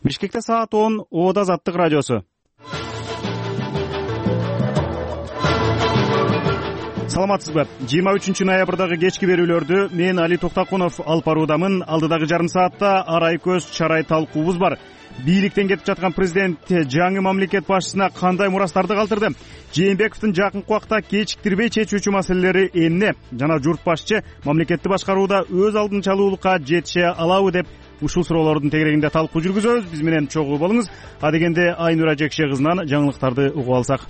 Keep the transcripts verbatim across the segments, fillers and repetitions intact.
Бишкекте саат он, Ода Азаттык радиосу. Саламатсызбы? жыйырма үчүнчү ноябрдагы кечки берүүлөрдү мен Али Токтакунов алып баруудамын. Алдыдагы жарым саатта арай көз чарай талкуубуз бар. Бийликтен кетип жаткан президент жаңы мамлекет башчысына кандай мурастарды калтырды? Жээнбековдун жакынкы убакта кечиктирбей чечүүчү маселелери эмне? Жана журт башчы мамлекетти башкарууда өз алдынчалуулукка жетише алабы деп ушул суроолордун тегерегинде талкуу жүргүзөбүз. Биз менен чогуу болуңуз. Адегенде Айнура Жекше кызынан жаңылыктарды угуп алсак.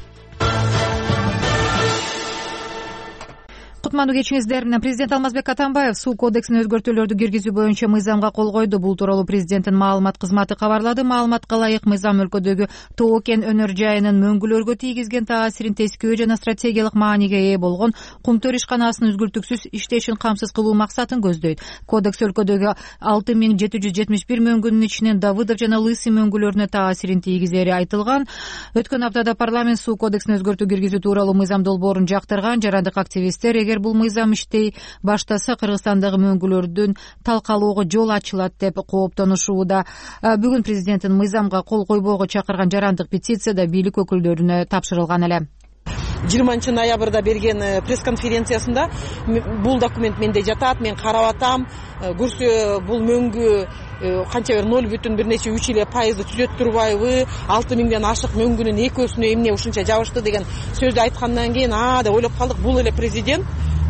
Кутмандуу кечиңиздер. Президент Алмазбек Атамбаев суу кодексине өзгөртүүлөрдү киргизүү боюнча мыйзамга кол койду. Бул тууралуу президенттин маалымат кызматы кабарлады. Маалыматка ылайык, мыйзам өлкөдөгү Тоо кен өнөр жайынын мөңгүлөргө тийгизген таасирин тескөө жана стратегиялык мааниге ээ болгон кумтөр ишканасынын үзгүлтүксүз иштешин камсыз кылуу максатын көздөйт. Кодекс өлкөдөгү алты миң жети жүз жетимиш бир мөңгүнүн ичинен Давыдов жана Лысый мөңгүлөрүнө таасирин тийгизери айтылган. Өткөн аптада парламент суу кодексине өзгөртүү киргизүү тууралуу мыйзам долбоорун жактырган. Жарандык активисттер эгер бул мыйзам иштей баштаса Кыргызстандагы мөңгүлөрдүн талкалоого жол ачылат деп кооптонушууда. Бүгүн президенттин мыйзамга кол койбоого чакырган жарандык петицияда бийлик өкүлдөрүнө тапшырылган эле. жыйырманчы ноябрда берген пресс-конференциясында бул документ менде жатат, мен карап атам, көрсө бул мөңгү канча бир ноль бүтүн бир нече үч эле пайызды түзөт турбайбы, алты миңден ашык мөңгүнүн экөөсүнө эмне ушунча жабышты деген сөздү айткандан кийин а деп ойлоп калдык, бул эле президент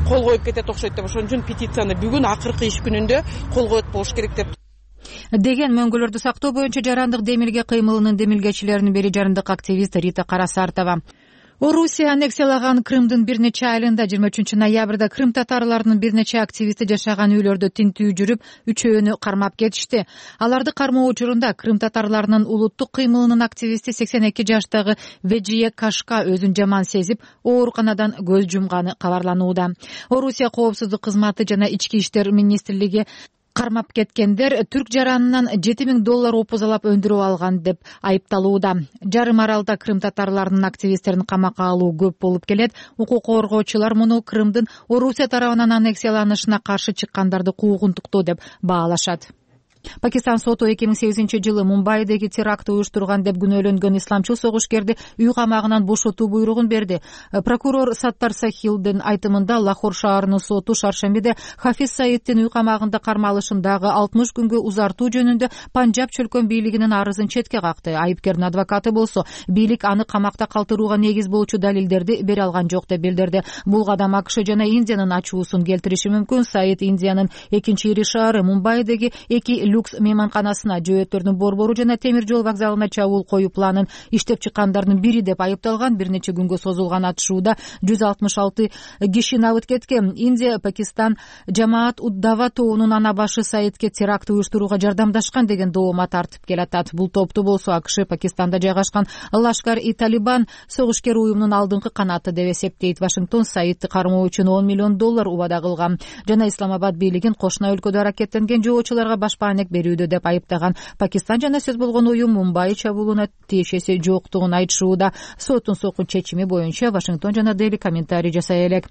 кол коюп кетет окшойт деп. Ошон үчүн петицияны бүгүн акыркы иш күнүндө кол коет болуш керек деп. Деген мөңгүлөрдү сактоо боюнча жарандык демилге кыймылынын демилгечилеринин бири жарандык активист Рита Карасартова. Орусия аннексиялаган Крымдын бир нече айылында жыйырма үчүнчү ноябрда крым татарларынын бир нече активисти жашаган үйлөрдө тинтүү жүрүп, үчөөнү кармап кетишти. Аларды кармоо учурунда крым татарларынын улуттук кыймылынын активисти сексен эки жаштагы Веджие Кашка өзүн жаман сезип, ооруканадан көз жумганы кабарланууда. Орусия коопсуздук кызматы жана ички иштер министрлиги кармап кеткендер түрк жаранынан жети миң доллар опузалап өндүрүп алган деп айыпталууда. Жарым аралда крым татарларынын активисттерин камакка алуу көп болуп келет. Укук коргоочулар муну Крымдын Орусия тарабынан аннексияланышына каршы чыккандарды куугунтуктоо деп баалашат. Пакистан соту эки миң сегизинчи жылы Мумбайдеги терактты уюштурган деп күнөөлөнгөн исламчыл согушкерди үй камагынан бошотуу буйругун берди. Прокурор Саттар Сахилдин айтымында Лахор шаарынын соту шаршембиде Хафиз Саиддин үй камагында кармалышын дагы алтымыш күнгө узартуу жөнүндө Панжаб чөлкөн бийлигинин арызын четке какты. Айыпкердин адвокаты болсо бийлик аны камакта калтырууга негиз болчу далилдерди бере алган жок деп билдирди. Бул кадам АКШ жана Индиянын ачуусун келтириши мүмкүн. Саид Индиянын экинчи ири шаары Мумбайдеги эки люкс мейманканасына, жөөттөрдүн борбору жана темир жол вокзалына чабуул коюу планын иштеп чыккандардын бири деп айыпталган. Бир нече күнгө созулган атышууда жүз алтымыш алты киши набыт кеткен. Индия Пакистан Жамаат Уд-Дава тобунун ана башы Саидке теракт уюштурууга жардамдашкан деген доомма тартып келатат. Бул топту болсо АКШ Пакистанда жайгашкан Лашкар-и-Талибан согушкер уюмунун алдыңкы канаты деп эсептейт. Вашингтон Саидти кармоо үчүн он миллион доллар убада кылган жана Исламабад бийлигин кошуна өлкөдө аракеттенген жоочуларга башпаанек берүүдө деп айыптаган. Пакистан жана сөз болгон уюм Мумбай чабуулуна тиешеси жоктугун айтышууда. Соттун сокун чечими боюнча Вашингтон жана Дели комментарий жасай элек.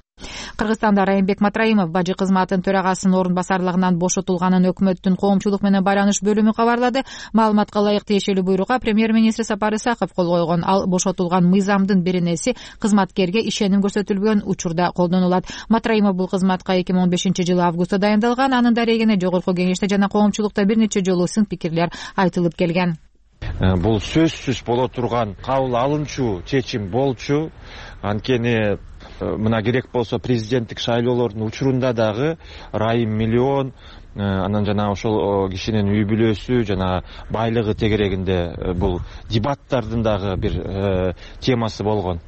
Кыргызстанда Райымбек Матраимов бажы кызматынын төрагасынын орун басарлыгынан бошотулганын өкмөттүн коомчулук менен байланыш бөлүмү кабарлады. Маалыматка ылайык тиешелүү буйрукка премьер-министр Сапар Исаков кол койгон. Ал бошотулган мыйзамдын биринеси кызматкерге ишеним көрсөтүлбөгөн учурда колдонулат. Матраимов бул кызматка эки миң он бешинчи жылы августта дайындалган. Анын дарегине жогорку кеңеште жана коомчулукта бир нече жолу сын пикирлер айтылып келген. Бул сөзсүз боло турган кабыл алынчу чечим болчу. Анткени мына керек болсо президенттик шайлоолордун учурунда дагы Райым миллион, анан жана ошол кишинин үй бүлөсү жана байлыгы тегерегинде бул дебаттардын дагы бир темасы болгон.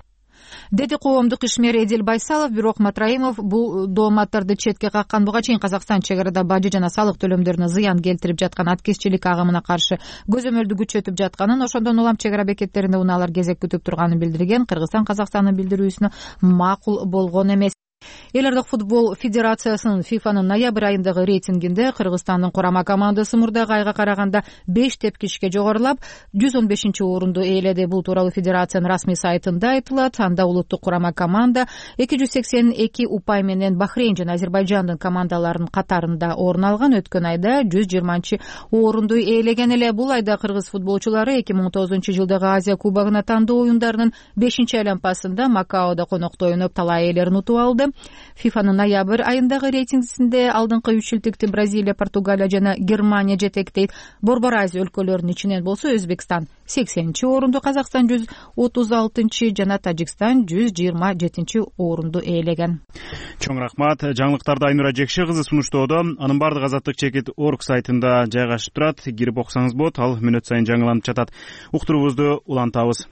Деди коомдук ишмер Эдил Байсалов. Бирок Матраимов бул дооматтарды четке каккан. Буга чейин Казакстан чек арада бажы жана салык төлөмдөрүнө зыян келтирип жаткан аткезчилик агымына каршы көзөмөлдү күчөтүп жатканын, ошондон улам чек ара бекеттеринде унаалар кезек күтүп турганын билдирген. Кыргызстан Казакстандын билдирүүсүнө макул болгон эмес. Элдик футбол федерациясынын фифанын ноябрь айындагы рейтингинде Кыргызстандын курама командасы мурдагы айга караганда беш тепкичке жогорулап жүз он бешинчи орунду ээледи. Бул тууралуу федерациянын расмий сайтында айтылат. Анда улуттук курама команда эки жүз сексен эки упай менен Бахрейн жана Азербайжандын командаларынын катарында орун алган. Өткөн айда жүз жыйырманчы орунду ээлеген эле. Бул айда кыргыз футболчулары эки миң он тогузунчу жылдагы Азия кубогуна тандоо оюндарынын бешинчи айланпасында Макаодо конокто ойноп талай ээлерин утуп алды. фифанын ноябрь айындагы рейтингисинде алдыңкы үч элдикти Бразилия, Португалия жана Германия жетектейт. Борбор Азия өлкөлөрүнүн ичинен болсо Өзбекстан сексенинчи орунду, Казакстан жүз отуз алтынчы жана Тажикстан жүз жыйырма жетинчи орунду ээлеген. Чоң рахмат. Жаңылыктарды Айнура Жекши кызы сунуштоодо. Анын бардык азаттык чекит орг сайтында жайгашып турат. Кирип окусаңыз болот. Ал мүнөт сайын жаңыланып жатат. Уктуруубузду улантабыз.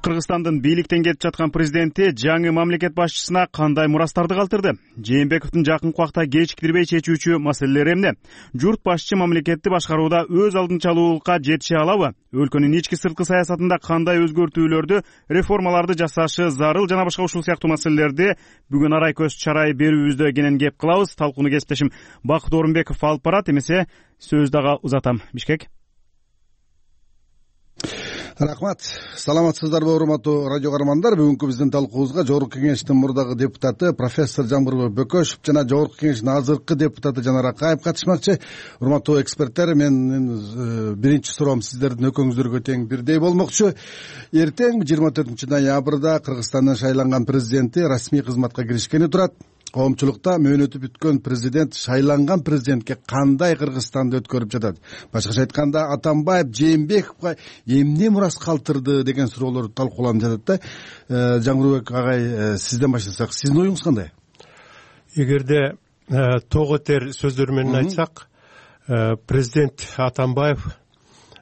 Кыргызстандын бийликтен кетип жаткан президенти жаңы мамлекет башчысына кандай мурастарды калтырды? Жээнбековдун жакынкы убакта кечиктирбей чечүүчү маселелери эмне? Журт башчы мамлекетти башкарууда өз алдынчалуулукка жетише алабы? Өлкөнүн ички сырткы саясатында кандай өзгөртүүлөрдү, реформаларды жасашы зарыл жана башка ушул сыяктуу маселелерди бүгүн арай көз чарай берүүбүздө кенен кеп кылабыз. Талкууну кесиптешим Бакыт Орунбеков алып барат. Эмесе сөз дагы узатам. Бишкек. Рахмат. Саламатсыздарбы, урматтуу радио каармандар? Бүгүнкү биздин талкуубузга Жогорку Кеңештин мурдагы депутаты профессор Жамбырбек Бөкөшев жана Жогорку Кеңештин азыркы депутаты Жанар Акаев катышмакчы. Урматтуу эксперттер, менин биринчи суроом сиздердин өкөңүздөргө тең бирдей болмокчу. Эртең жыйырма төртүнчү ноябрда Кыргызстандын шайланган президенти расмий кызматка киришкени турат. Коомчулукта мөөнөтү бүткөн президент шайланган президентке кандай Кыргызстанды өткөрүп жатат? Башкача айтканда, Атамбаев Жээнбековго эмне мурас калтырды деген суроолор талкууланып жатат да. Жаңырбек агай, сизден баштасак, сиздин оюңуз кандай? Эгерде тоо кетер сөздөр менен айтсак, президент Атамбаев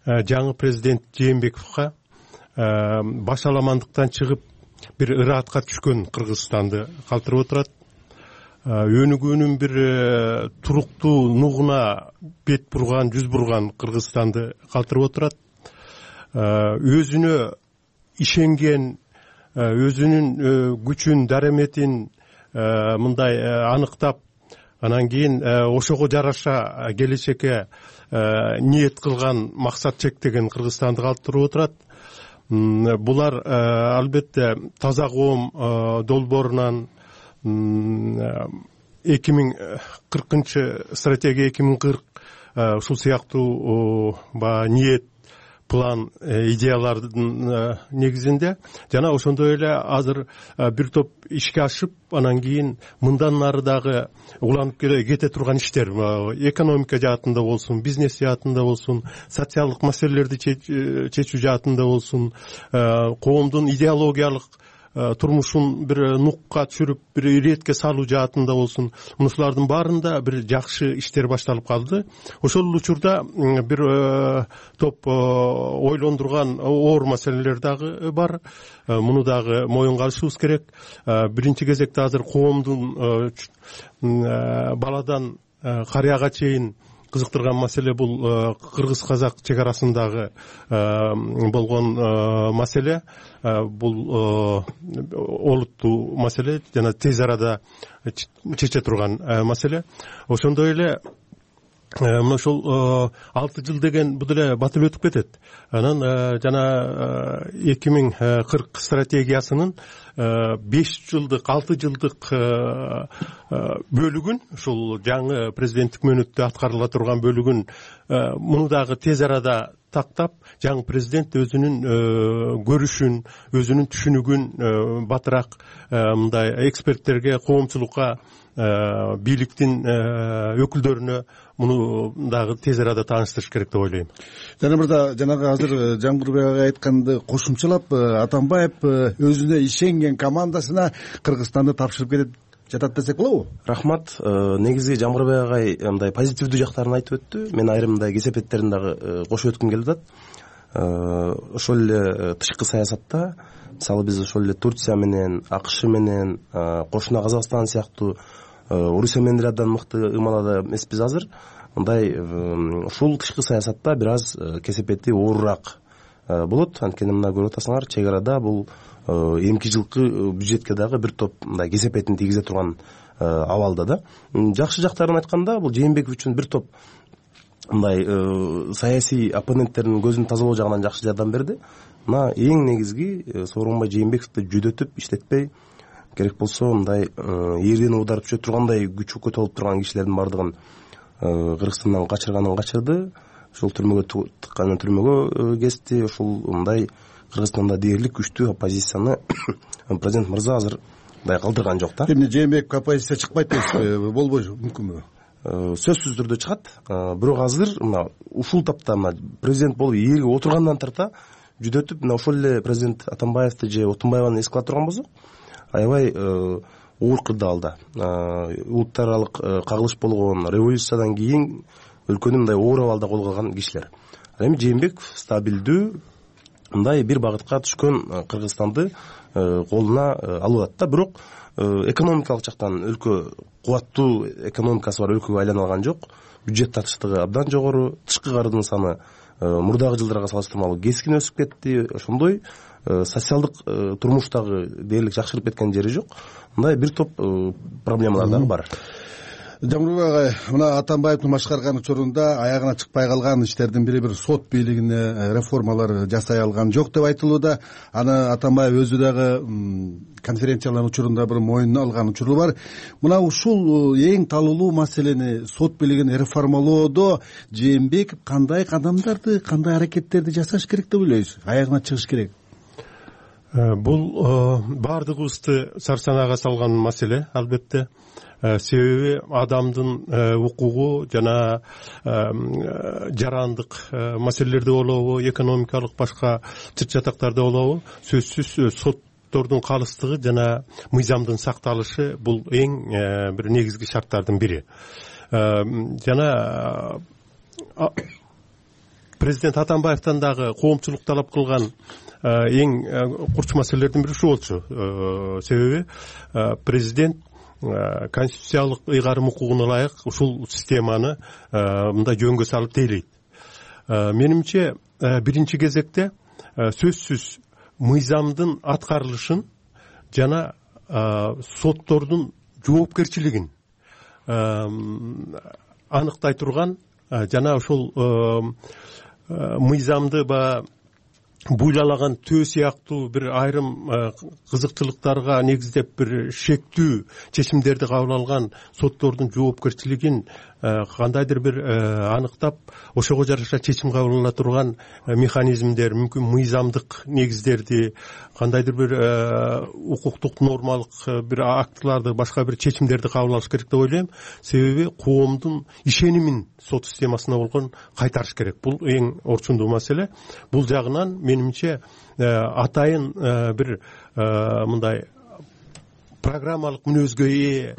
жаңы президент Жээнбековго башаламандыктан чыгып бир ыраатка түшкөн Кыргызстанды калтырып отурат. Өнүгүүнүн бир туруктуу нугуна бет бурган, жүз бурган Кыргызстанды калтырып отурат. Өзүнө ишенген, өзүнүн күчүн, дараметин мындай аныктап, анан кийин ошого жараша келечекке ниет кылган, максат чектеген Кыргызстанды калтырып отурат. Булар албетте таза коом долбоорунан эки миң кыркынчы стратегия эки миң кырк ушул сыяктуу ниет, план, идеялардын негизинде жана ошондой эле азыр бир топ ишке ашып, анан кийин мындан нары дагы уланып кете турган иштер, экономика жаатында болсун, бизнес жаатында болсун, социалдык маселелерди чечүү жаатында болсун, коомдун идеологиялык турмушун бир нукка түшүрүп, бир иретке салуу жаатында болсун, мушулардын баарында бир жакшы иштер башталып калды. Ошол учурда бир топ ойлондурган оор маселелер дагы бар. Муну дагы моюнга алышыбыз керек. Биринчи кезекте азыр коомдун баладан карыяга чейин кызыктырган маселе бул кыргыз-казак чек арасындагы болгон маселе. Бул олуттуу маселе жана тез арада чече турган маселе. Ошондой эле мына ошол алты жыл деген бул деле батып өтүп кетет. Анан жана эки миң кырк стратегиясынын беш жылдык, алты жылдык бөлүгүн, ушул жаңы президенттик мөөнөттө аткарыла турган бөлүгүн муну дагы тез арада тактап, жаңы президент өзүнүн көрүшүн, өзүнүн түшүнүгүн батыраак мындай эксперттерге, коомчулукка, бийликтин өкүлдөрүнө муну дагы тез арада тааныштырыш керек деп ойлойм. Жана мырза, жанагы азыр Жаңбырбек агай айтканды кошумчалап, Атамбаев өзүнө ишенген командасына Кыргызстанды тапшырып кетет жатат десек болобу? Рахмат. Негизи Жаңбырбек агай мындай позитивдүү жактарын айтып өттү. Мен айрым мындай кесепеттерин дагы кошуп өткүм келип атат. Ошол эле тышкы саясатта, мисалы биз ошол эле Турция менен, АКШ менен, кошуна Казакстан сыяктуу Орусия менен деле абдан мыкты ымалада эмеспиз азыр. мындай ушул тышкы саясатта бир аз кесепети оорураак болот. Анткени мына көрүп атасыңар, чек арада бул эмки жылкы бюджетке дагы бир топ мындай кесепетин тийгизе турган абалда да. Жакшы жактарын айтканда, бул Жээнбеков үчүн бир топ мындай саясий оппоненттердин көзүн тазалоо жагынан жакшы жардам берди. Мына эң негизги Сооронбай Жээнбековду жүдөтүп иштетпей, керек болсо мындай эрден ударып түшө тургандай күчү көтө алып турган кишилердин баардыгын Кыргызстандан качырганын качырды. Ошол түрмөгө тыкканын түрмөгө кести. Ошол мындай Кыргызстанда дээрлик күчтүү оппозицияны президент мырза азыр мындай калтырган жок да. Эмне Жээнбеков оппозиция чыкпайт дейсизби? Болбойбу, мүмкүнбү? Сөзсүз түрдө чыгат. Бирок азыр мына ушул тапта мына президент болуп ээлге отургандан тарта жүдөтүп, мына ошол эле президент Атамбаевди же Отунбаеваны эске ала турган болсок, аябай оор кырдаалда улуттар аралык кагылыш болгон революциядан кийин өлкөнү мындай оор абалда колго алган кишилер. Ал эми Жээнбеков стабилдүү мындай бир багытка түшкөн Кыргызстанды колуна алып атат да. Бирок экономикалык жактан өлкө кубаттуу экономикасы бар өлкөгө айлана алган жок. Бюджет татыштыгы абдан жогору, тышкы кардын саны мурдагы жылдарга салыштырмалуу кескин өсүп кетти. Ошондой социалдык турмуштагы дээрлик жакшырып кеткен жери жок. Мындай бир топ проблемалар дагы бар. Жамбырбек агай, мына Атамбаевдин башкарган учурунда аягына чыкпай калган иштердин бири бир сот бийлигине реформалар жасай алган жок деп айтылууда. Аны Атамбаев өзү дагы конференциялардын учурунда бир мойнуна алган учуру бар. Мына ушул эң талуулуу маселени, сот бийлигин реформалоодо Жээнбеков кандай кадамдарды, кандай аракеттерди жасаш керек деп ойлойсуз? Аягына чыгыш керек. Бул баардыгыбызды сарсанага салган маселе, албетте. Себеби адамдын укугу жана жарандык маселелерде болобу, экономикалык башка чыт жатактарда болобу, сөзсүз соттордун калыстыгы жана мыйзамдын сакталышы бул эң бир негизги шарттардын бири. Жана президент Атамбаевтан дагы коомчулук талап кылган эң курч маселелердин бири ушул болчу. Себеби президент конституциялык ыйгарым укугуна ылайык ушул системаны мындай жөнгө салып тейлейт. Менимче биринчи кезекте сөзсүз мыйзамдын аткарылышын жана соттордун жоопкерчилигин аныктай турган жана ошол мыйзамды ба буйлаган төө сыяктуу бир айрым кызыкчылыктарга негиздеп бир шектүү чечимдерди кабыл алган соттордун жоопкерчилигин кандайдыр бир аныктап, ошого жараша чечим кабыл ала турган механизмдер, мүмкүн мыйзамдык негиздерди, кандайдыр бир укуктук нормалык бир актыларды, башка бир чечимдерди кабыл алыш керек деп ойлойм. Себеби коомдун ишенимин сот системасына болгон кайтарыш керек. Бул эң орчундуу маселе. Бул жагынан менимче атайын бир мындай программалык мүнөзгө ээ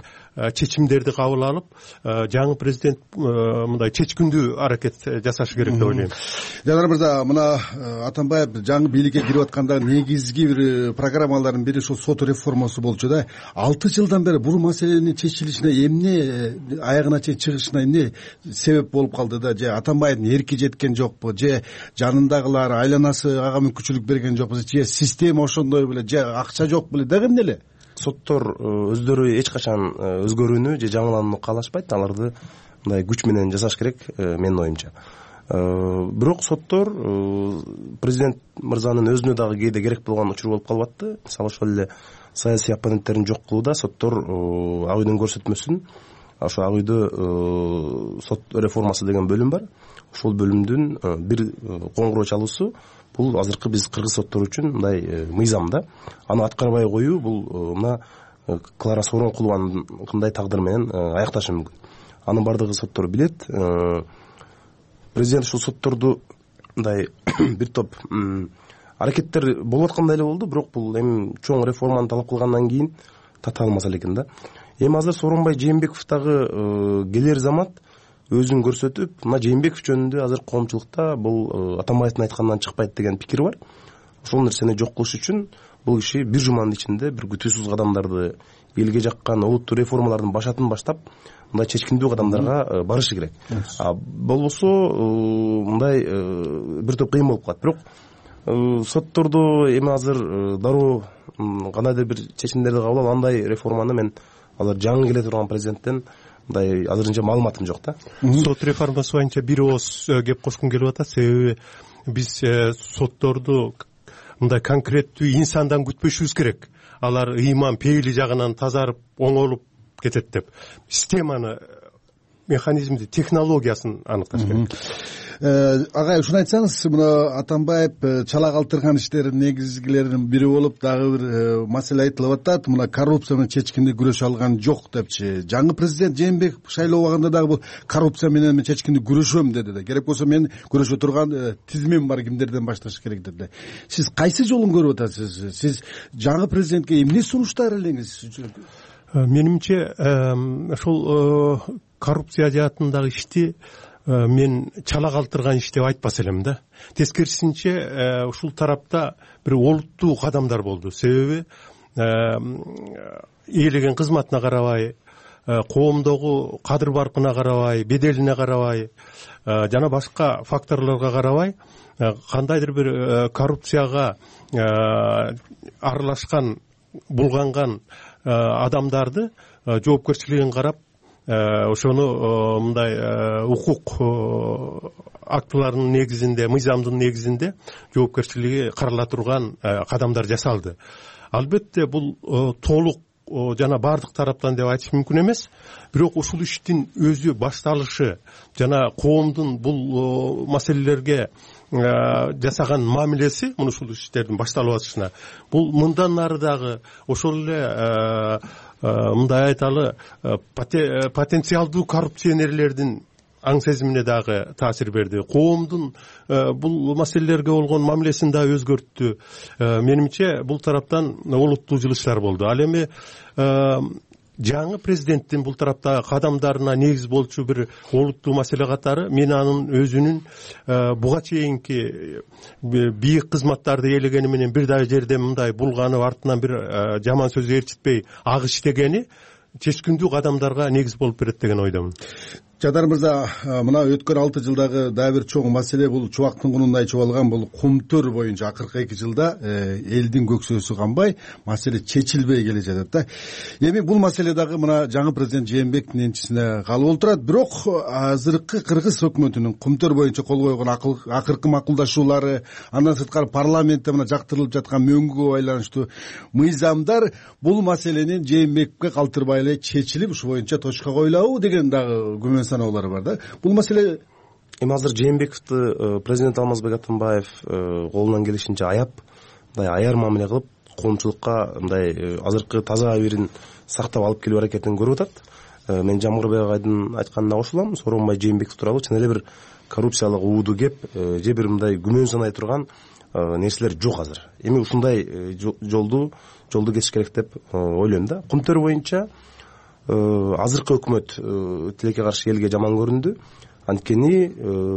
чечимдерди кабыл алып, жаңы президент мындай чечкиндүү аракет жасаш керек деп ойлойм. Жанар мырза, мына Атамбаев жаңы бийликке кирип атканда негизги бир программалардын бири ушул сот реформасы болчу да. алты жылдан бери бул маселенин чечилишине эмне, аягына чейин чыгышына эмне себеп болуп калды да? Же Атамбаевдин эрки жеткен жокпу, же жанындагылар, айланасы ага мүмкүнчүлүк берген жокпу, же система ошондой беле, же акча жок беле, дагы эмне эле? Соттор өздөрү эч качан өзгөрүүнү же жаңыланууну каалашпайт. Аларды мындай күч менен жасаш керек, менин оюмча. Бирок соттор президент мырзанын өзүнө дагы кээде керек болгон учур болуп калып атты. Мисалы ошол эле саясий оппоненттерин жок кылууда соттор ак үйдүн көрсөтмөсүн, ошо ак үйдө сот реформасы деген бөлүм бар. Ошол бөлүмдүн бир коңгуроо чалуусу бул азыркы биз кыргыз соттору үчүн мындай мыйзам да. Аны аткарбай коюу бул мына Клара Сооронкулованын кандай тагдыр менен аякташы мүмкүн. Анын бардыгы соттор билет. Президент ушул сотторду мындай бир топ аракеттер болуп аткандай эле болду, бирок бул эми чоң реформаны талап кылгандан кийин тата алмаса экен да. Эми азыр Сооронбай Жээнбеков дагы келер замат өзүн көрсөтүп, мына Жээнбеков жөнүндө азыр коомчулукта бул Атамбаевдин айтканынан чыкпайт деген пикир бар. Ошол нерсени жок кылыш үчүн бул киши бир жуманын ичинде бир күтүүсүз кадамдарды элге жаккан олуттуу реформалардын башатын баштап мындай чечкиндүү кадамдарга барышы керек. Болбосо мындай бир топ кыйын болуп калат. Бирок сотторду эми азыр дароо кандайдыр бир чечимдерди кабыл алып андай реформаны мен азыр жаңы келе турган президенттен мындай азырынча маалыматым жок да. Сот реформасы боюнча бир ооз кеп кошкум келип атат. Себеби биз сотторду мындай конкреттүү инсандан күтпөшүбүз керек. Алар ыйман пейили жагынан тазарып оңолуп кетет деп. Системаны, механизмди, технологиясын аныкташ керек. Агай, ушуну айтсаңыз, мына Атамбаев чала калтырган иштердин негизгилеринин бири болуп дагы бир маселе айтылып атат. Мына коррупция менен чечкиндүү күрөшө алган жок депчи. Жаңы президент Жээнбеков шайлоо убагында дагы бул коррупция менен мен чечкиндүү күрөшөм деди да. Керек болсо мен күрөшө турган тизмем бар, кимдерден башташ керек деди. Сиз кайсы жолун көрүп атасыз? Сиз жаңы президентке эмне сунуштар элеңиз? Менимче ошол коррупция жаатындагы ишти мен чала калтырган иш деп айтпас элем да. Тескерисинче ушул тарапта бир олуттуу кадамдар болду. Себеби ээлеген кызматына карабай, коомдогу кадыр баркына карабай, беделине карабай жана башка факторлорго карабай кандайдыр бир коррупцияга аралашкан, булганган адамдарды жоопкерчилигин карап ошону мындай укук актыларынын негизинде, мыйзамдын негизинде жоопкерчилиги карала турган кадамдар жасалды. Албетте бул толук жана бардык тараптан деп айтыш мүмкүн эмес. Бирок ушул иштин өзү башталышы жана коомдун бул маселелерге жасаган мамилеси, муну ушул иштердин башталып атышына, бул мындан нары дагы ошол эле мындай айталы потенциалдуу коррупционерлердин аң сезимине дагы таасир берди. Коомдун бул маселелерге болгон мамилесин да өзгөрттү. Менимче бул тараптан олуттуу жылыштар болду. Ал эми жаңы президенттин бул тараптагы кадамдарына негиз болчу бир олуттуу маселе катары мен анын өзүнүн буга чейинки бийик кызматтарды ээлегени менен бир дагы жерде мындай булганып артынан бир жаман сөз ээрчитпей ак иштегени чечкиндүү кадамдарга негиз болуп берет деген ойдомун. Жадар мырза, мына өткөн алты жылдагы дагы бир чоң маселе бул чубактын кунундай чубалган бул Кумтөр боюнча акыркы эки жылда элдин көксөсү канбай, маселе чечилбей келе жатат да. Эми бул маселе дагы мына жаңы президент Жээнбековдун энчисине калып отурат. Бирок азыркы Кыргыз өкмөтүнүн Кумтөр боюнча кол койгон акыркы макулдашуулары, андан сырткары парламентте мына жактырылып жаткан мөңгүгө байланыштуу мыйзамдар бул маселени Жээнбековге калтырбай эле чечилип, ушу боюнча точка коюлабы деген дагы күмөн саноолор бар да. Бул маселе эми азыр Жээнбековду президент Алмазбек Атамбаев колунан келишинче аяп, мындай аяр мамиле кылып, коомчулукка мындай азыркы таза абийирин сактап алып келүү аракетин көрүп атат. Мен Жамгырбек агайдын айтканына кошулам. Сооронбай Жээнбеков тууралуу чын эле бир коррупциялык ууду кеп, же бир мындай күмөн санай турган нерселер жок азыр. Эми ушундай жолду жолду кесиш керек деп ойлойм да. Кумтөр боюнча азыркы өкмөт тилекке каршы элге жаман көрүндү. Анткени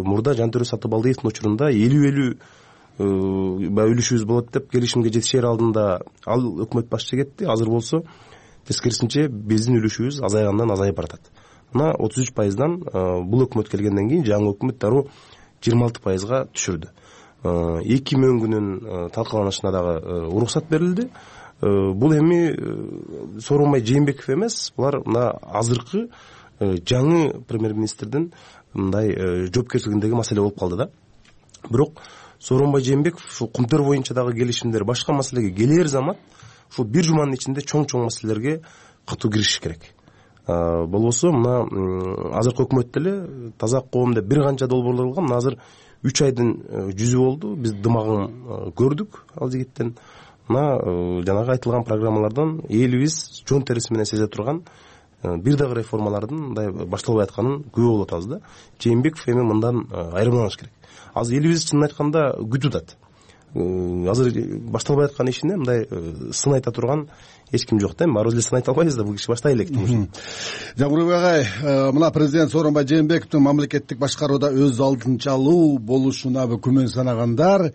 мурда Жантөрө Сатыбалдиевдин учурунда элүү элүү баягы үлүшүбүз болот деп келишимге жетишер алдында ал өкмөт башчы кетти. Азыр болсо тескерисинче биздин үлүшүбүз азайгандан азайып баратат. Мына отуз үч пайыздан бул өкмөт келгенден кийин жаңы өкмөт дароо жыйырма алты пайызга түшүрдү. Эки мөңгүнүн талкаланышына дагы уруксат берилди. Бул эми Сооронбай Жээнбеков эмес, булар мына азыркы жаңы премьер-министрдин мындай жоопкерчилигиндеги маселе болуп калды да. Бирок Сооронбай Жээнбеков ушул Кумтөр боюнча дагы келишимдер, башка маселеге келер замат ушул бир жуманын ичинде чоң-чоң маселелерге катуу киришиш керек. Болбосо мына азыркы өкмөт деле таза коом деп бир канча долбоорлор кылган. Мына азыр үч айдын жүзү болду. Биз дымагын көрдүк ал жигиттен. Мына жанагы айтылган программалардан элибиз жон териси менен сезе турган бир дагы реформалардын мындай башталбай атканын күбө болуп атабыз да. Жээнбеков эми мындан айырмаланыш керек. Азыр элибиз чынын айтканда күтүп атат. Азыр башталбай аткан ишине мындай сын айта турган эч ким жок да. Баарыбыз эле сын айта албайбыз да, бул киши баштай элек. Жамгырбек агай, мына президент Сооронбай Жээнбековдун мамлекеттик башкарууда өз алдынчалуу болушуна күмөн санагандар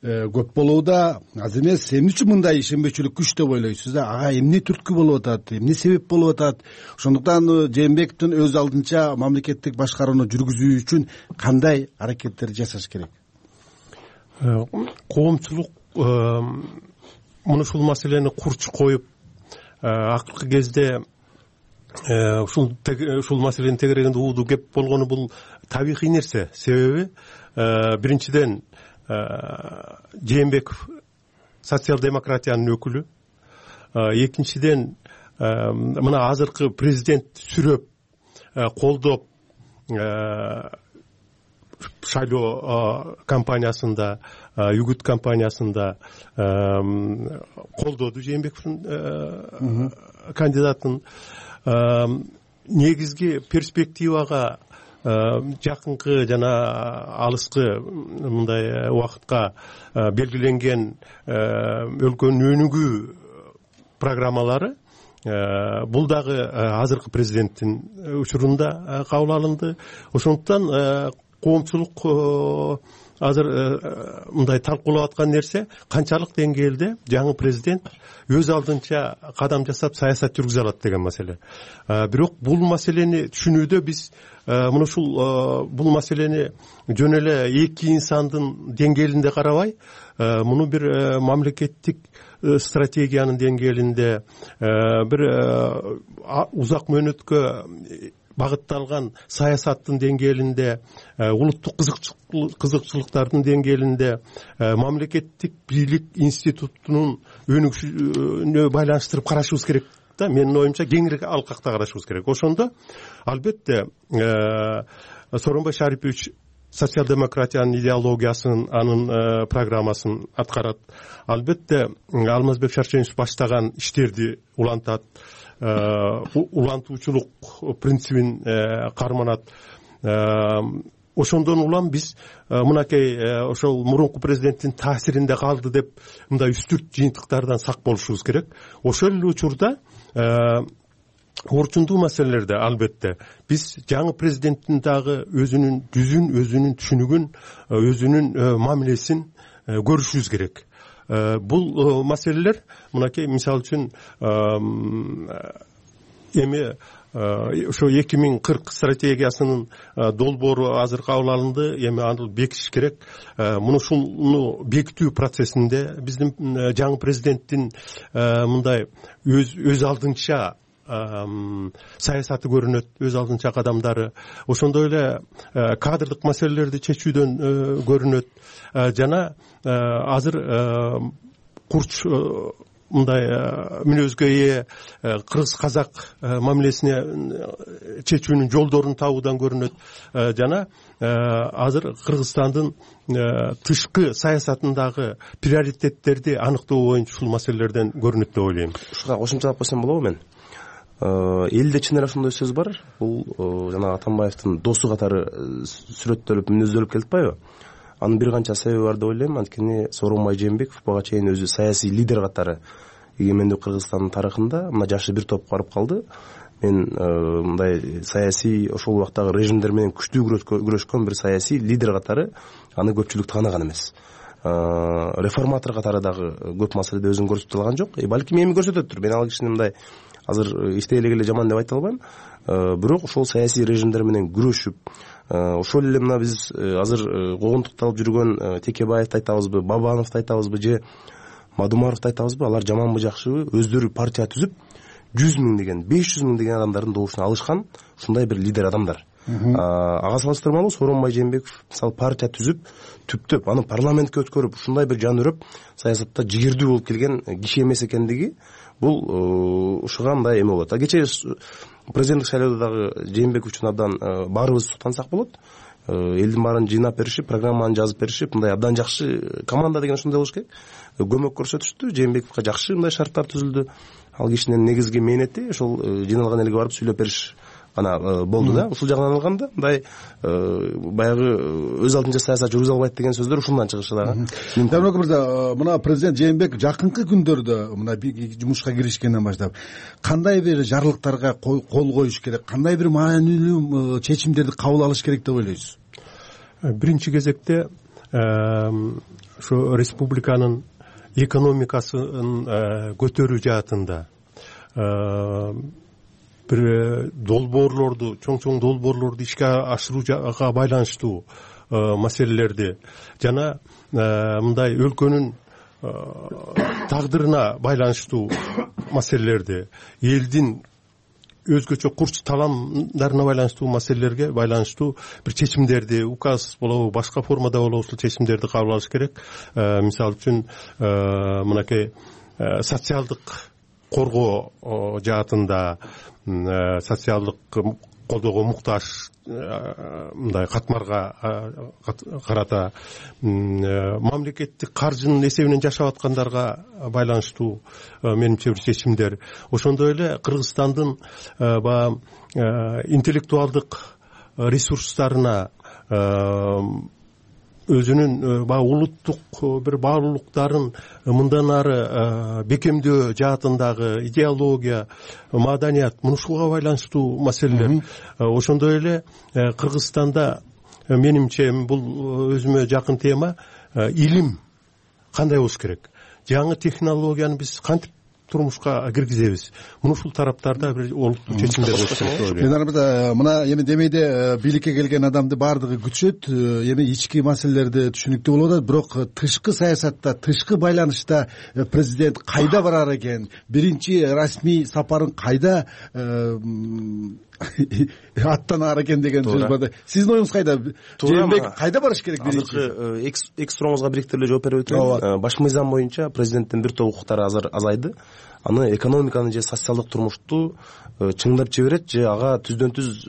көп болууда, аз эмес. Эмне үчүн мындай ишенбечүлүк күч деп ойлойсуз да? Ага эмне түрткү болуп атат, эмне себеп болуп атат? Ошондуктан Жээнбековдун өз алдынча мамлекеттик башкарууну жүргүзүү үчүн кандай аракеттер жасаш керек? Коомчулук муну ушул маселени курч коюп, акыркы кезде ушул ушул маселенин тегерегинде ууду кеп болгону бул табигый нерсе. Себеби биринчиден Жээнбеков социал-демократиянын өкүлү, экинчиден мына азыркы президент сүрөп колдоп шайлоо кампаниясында, Югут кампаниясында колдоду Жээнбековдун кандидатын. Негизги перспективага жакынкы жана алыскы мындай убакытка белгиленген өлкөнүн өнүгүү программалары бул дагы азыркы президенттин учурунда кабыл алынды. Ошондуктан коомчулук азыр мындай талкуулап аткан нерсе канчалык деңгээлде жаңы президент өз алдынча кадам жасап саясат жүргүзө алат деген маселе. Бирок бул маселени түшүнүүдө биз мына ушул бул маселени жөн эле эки инсандын деңгээлинде карабай, муну бир мамлекеттик стратегиянын деңгээлинде, бир узак мөөнөткө багытталган саясаттын деңгээлинде, улуттук кызыкчылыктардын деңгээлинде, мамлекеттик бийлик институтунун өнүгүшүнө байланыштырып карашыбыз керек да. Менин оюмча кеңири алкакта карашыбыз керек. Ошондо албетте Сооронбай Шарипович социал-демократиянын идеологиясын, анын программасын аткарат. Албетте Алмазбек Шарченович баштаган иштерди улантат, улантуучулук принцибин карманат. Ошондон улам биз мынакей ошол мурунку президенттин таасиринде калды деп мындай үстүрт жыйынтыктардан сак болушубуз керек. Ошол эле учурда орчундуу маселелерде албетте биз жаңы президенттин дагы өзүнүн жүзүн, өзүнүн түшүнүгүн, өзүнүн мамилесин көрүшүбүз керек. Бул маселелер мынакей мисалы үчүн эми ошо эки миң кырк стратегиясынын долбоору азыр кабыл алынды. Эми аны бекитиш керек. Муну ушуну бекитүү процессинде биздин жаңы президенттин мындай өз өз алдынча саясаты көрүнөт, өз алдынча кадамдары. Ошондой эле кадрдык маселелерди чечүүдөн көрүнөт. Жана азыр курч мындай мүнөзгө ээ кыргыз казак мамилесине чечүүнүн жолдорун табуудан көрүнөт. Жана азыр Кыргызстандын тышкы саясатындагы приоритеттерди аныктоо боюнча ушул маселелерден көрүнөт деп ойлойм. Ушуга кошумчалап койсом болобу мен? Элде чын эле ошондой сөз бар. Бул жана Атамбаевдин досу катары сүрөттөлүп, мүнөздөлүп келатпайбы? Анын бир канча себеби бар деп ойлойм. Анткени Сооронбай Жээнбеков бага чейин өзү саясий лидер катары эгемендүү Кыргызстандын тарыхында мына жашы бир топ барып калды. Мен мындай саясий ошол убактагы режимдер менен күчтүү күрөшкөн бир саясий лидер катары аны көпчүлүк тааныган эмес. Реформатор катары дагы көп маселеде өзүн көрсөтө алган жок. Балким эми көрсөтөттүр. Мен ал кишини мындай азыр иштей эле жаман деп айта албайм. Бирок ошол саясий режимдер менен күрөшүп, ошол эле мына биз азыр куугунтукталып жүргөн Текебаевди айтабызбы, Бабановду айтабызбы же Мадумаровду айтабызбы, алар жаманбы жакшыбы өздөрү партия түзүп жүз миң деген, беш жүз миң деген адамдардын добушуна алышкан ушундай бир лидер адамдар. Ага салыштырмалуу Сооронбай Жээнбеков мисалы партия түзүп, түптөп аны парламентке өткөрүп, ушундай бир жан өрөп саясатта жигердүү болуп келген киши эмес экендиги бул ушуга мындай эме болот. Кечээ президенттик шайлоодо дагы Жээнбеков үчүн абдан баарыбыз суктансак болот. Элдин баарын жыйнап беришип, программаны жазып беришип, мындай абдан жакшы команда деген ошондой болуш керек. Көмөк көрсөтүштү. Жээнбековго жакшы мындай шарттар түзүлдү. Ал кишинин негизги мээнети ошол жыйналган элге барып сүйлөп бериш гана болду да. Ушул жагынан алганда мындай баягы өз алдынча саясат жүргүзө албайт деген сөздөр ушундан чыгышы дагы. Дармек мырза, мына президент Жээнбеков жакынкы күндөрдө мына жумушка киришкенден баштап кандай бир жарлыктарга кол коюш керек, кандай бир маанилүү чечимдерди кабыл алыш керек деп ойлойсуз? Биринчи кезекте ошо республиканын экономикасын көтөрүү жаатында бир долбоорлорду чоң чоң долбоорлорду ишке ашырууга байланыштуу маселелерди жана мындай өлкөнүн тагдырына байланыштуу маселелерди, элдин өзгөчө курч таламдарына байланыштуу маселелерге байланыштуу бир чечимдерди, указ болобу башка формада болобу ушул чечимдерди кабыл алыш керек. Мисалы үчүн мынакей социалдык коргоо жаатында, социалдык колдоого муктаж мындай катмарга карата, мамлекеттик каржынын эсебинен жашап аткандарга байланыштуу менимче бир чечимдер. Ошондой эле Кыргызстандын баягы интеллектуалдык ресурстарына, өзүнүн баягы улуттук бир баалуулуктарын мындан ары бекемдөө жаатындагы идеология, маданият, мунушуга байланыштуу маселелер. Ошондой эле Кыргызстанда менимче бул өзүмө жакын тема, илим кандай болуш керек, жаңы технологияны биз кантип турмушка киргизебиз, муну ушул тараптарда бир олуттуу чечимдер болуш керек деп ойлойм. Мен арбада мына эми демейде бийликке келген адамды баардыгы күтүшөт, эми ички маселелерди түшүнүктүү болуп атат, бирок тышкы саясатта, тышкы байланышта президент кайда барар экен, биринчи расмий сапарын кайда аттанаар экен деген сөз бар. Сиздин оюңуз кайда? Жээнбеков кайда барыш керек биринчи? Азыркы эки сурооңузга бириктириле жооп берип өтөйүн. Баш мыйзам боюнча президенттин бир топ укуктары азыр азайды. Аны экономиканы же социалдык турмушту чыңдап жиберет же ага түздөн түз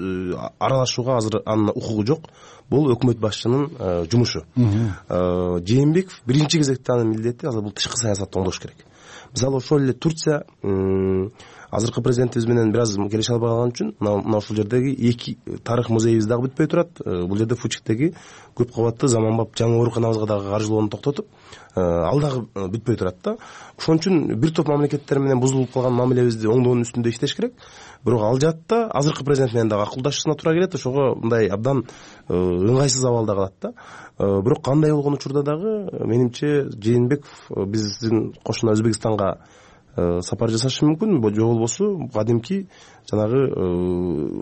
аралашууга азыр анын укугу жок. Бул өкмөт башчынын жумушу. Жээнбеков биринчи кезекте анын милдети азыр бул тышкы саясатты оңдош керек. Мисалы ошол эле Турция азыркы президентибиз менен бир аз келише албай калган үчүн мына ушул жердеги эки тарых музейибиз дагы бүтпөй турат. Бул жерде Фучиктеги көп кабатты заманбап жаңы ооруканабызга дагы каржылоону токтотуп, ал дагы бүтпөй турат да. Ошон үчүн бир топ мамлекеттер менен бузулуп калган мамилебизди оңдоонун үстүндө иштеш керек. Бирок ал жаатта азыркы президент менен дагы акылдашуусуна туура келет. Ошого мындай абдан ыңгайсыз абалда калат да. Бирок кандай болгон учурда дагы менимче Жээнбеков биздин кошуна Өзбекстанга сапар жасашы мүмкүн, же болбосо кадимки жанагы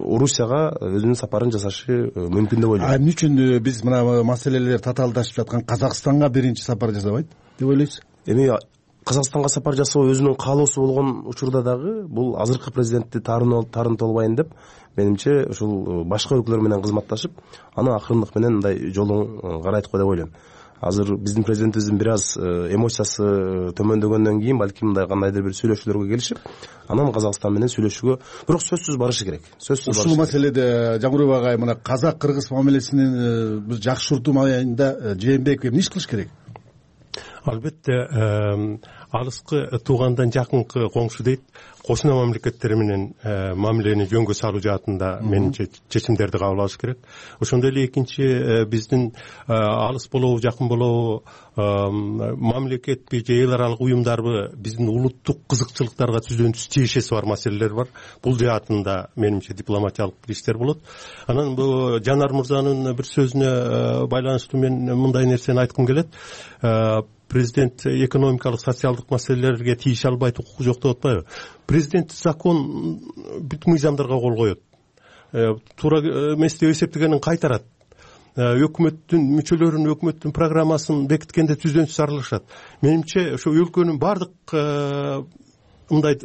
Орусияга өзүнүн сапарын жасашы мүмкүн деп ойлойм. Эмне үчүн биз мына маселелер татаалдашып жаткан Казакстанга биринчи сапар жасабайт деп ойлойсуз? Эми Казакстанга сапар жасоо өзүнүн каалоосу болгон учурда дагы бул азыркы президентти таарынтып албайын деп, менимче ушул башка өлкөлөр менен кызматташып, аны акырындык менен мындай жолун карайт го деп ойлойм. Азыр биздин президентибиздин бир аз эмоциясы төмөндөгөндөн кийин балким мындай кандайдыр бир сүйлөшүүлөргө келишип, анан Казакстан менен сүйлөшүүгө, бирок сөзсүз барышы керек. Сөзсүз ушул маселеде Жамбырбек агай мына казак-кыргыз мамилесинин бир жакшыртуу маалында Жээнбеков эмне иш кылыш керек? Албетте алыскы туугандан жакынкы коңшу дейт, кошуна мамлекеттер менен мамилени жөнгө салуу жаатында менимче чечимдерди кабыл алыш керек. Ошондой эле экинчи биздин алыс болобу жакын болобу мамлекетпи же эл аралык уюмдарбы биздин улуттук кызыкчылыктарга түздөн түз тиешеси бар маселелер бар. Бул жаатында менимче дипломатиялык иштер болот. Анан бул Жанар мырзанын бир сөзүнө байланыштуу мен мындай нерсени айткым келет. Президент экономикалык, социалдык маселелерге тийише албайт, укугу жок деп атпайбы? Президент закон бүт мыйзамдарга кол коет. Туура эмес деп эсептегенин кайтарат. Өкмөттүн мүчөлөрүн, өкмөттүн программасын бекиткенде түздөн түз аралашат. Менимче ошо өлкөнүн бардык мындай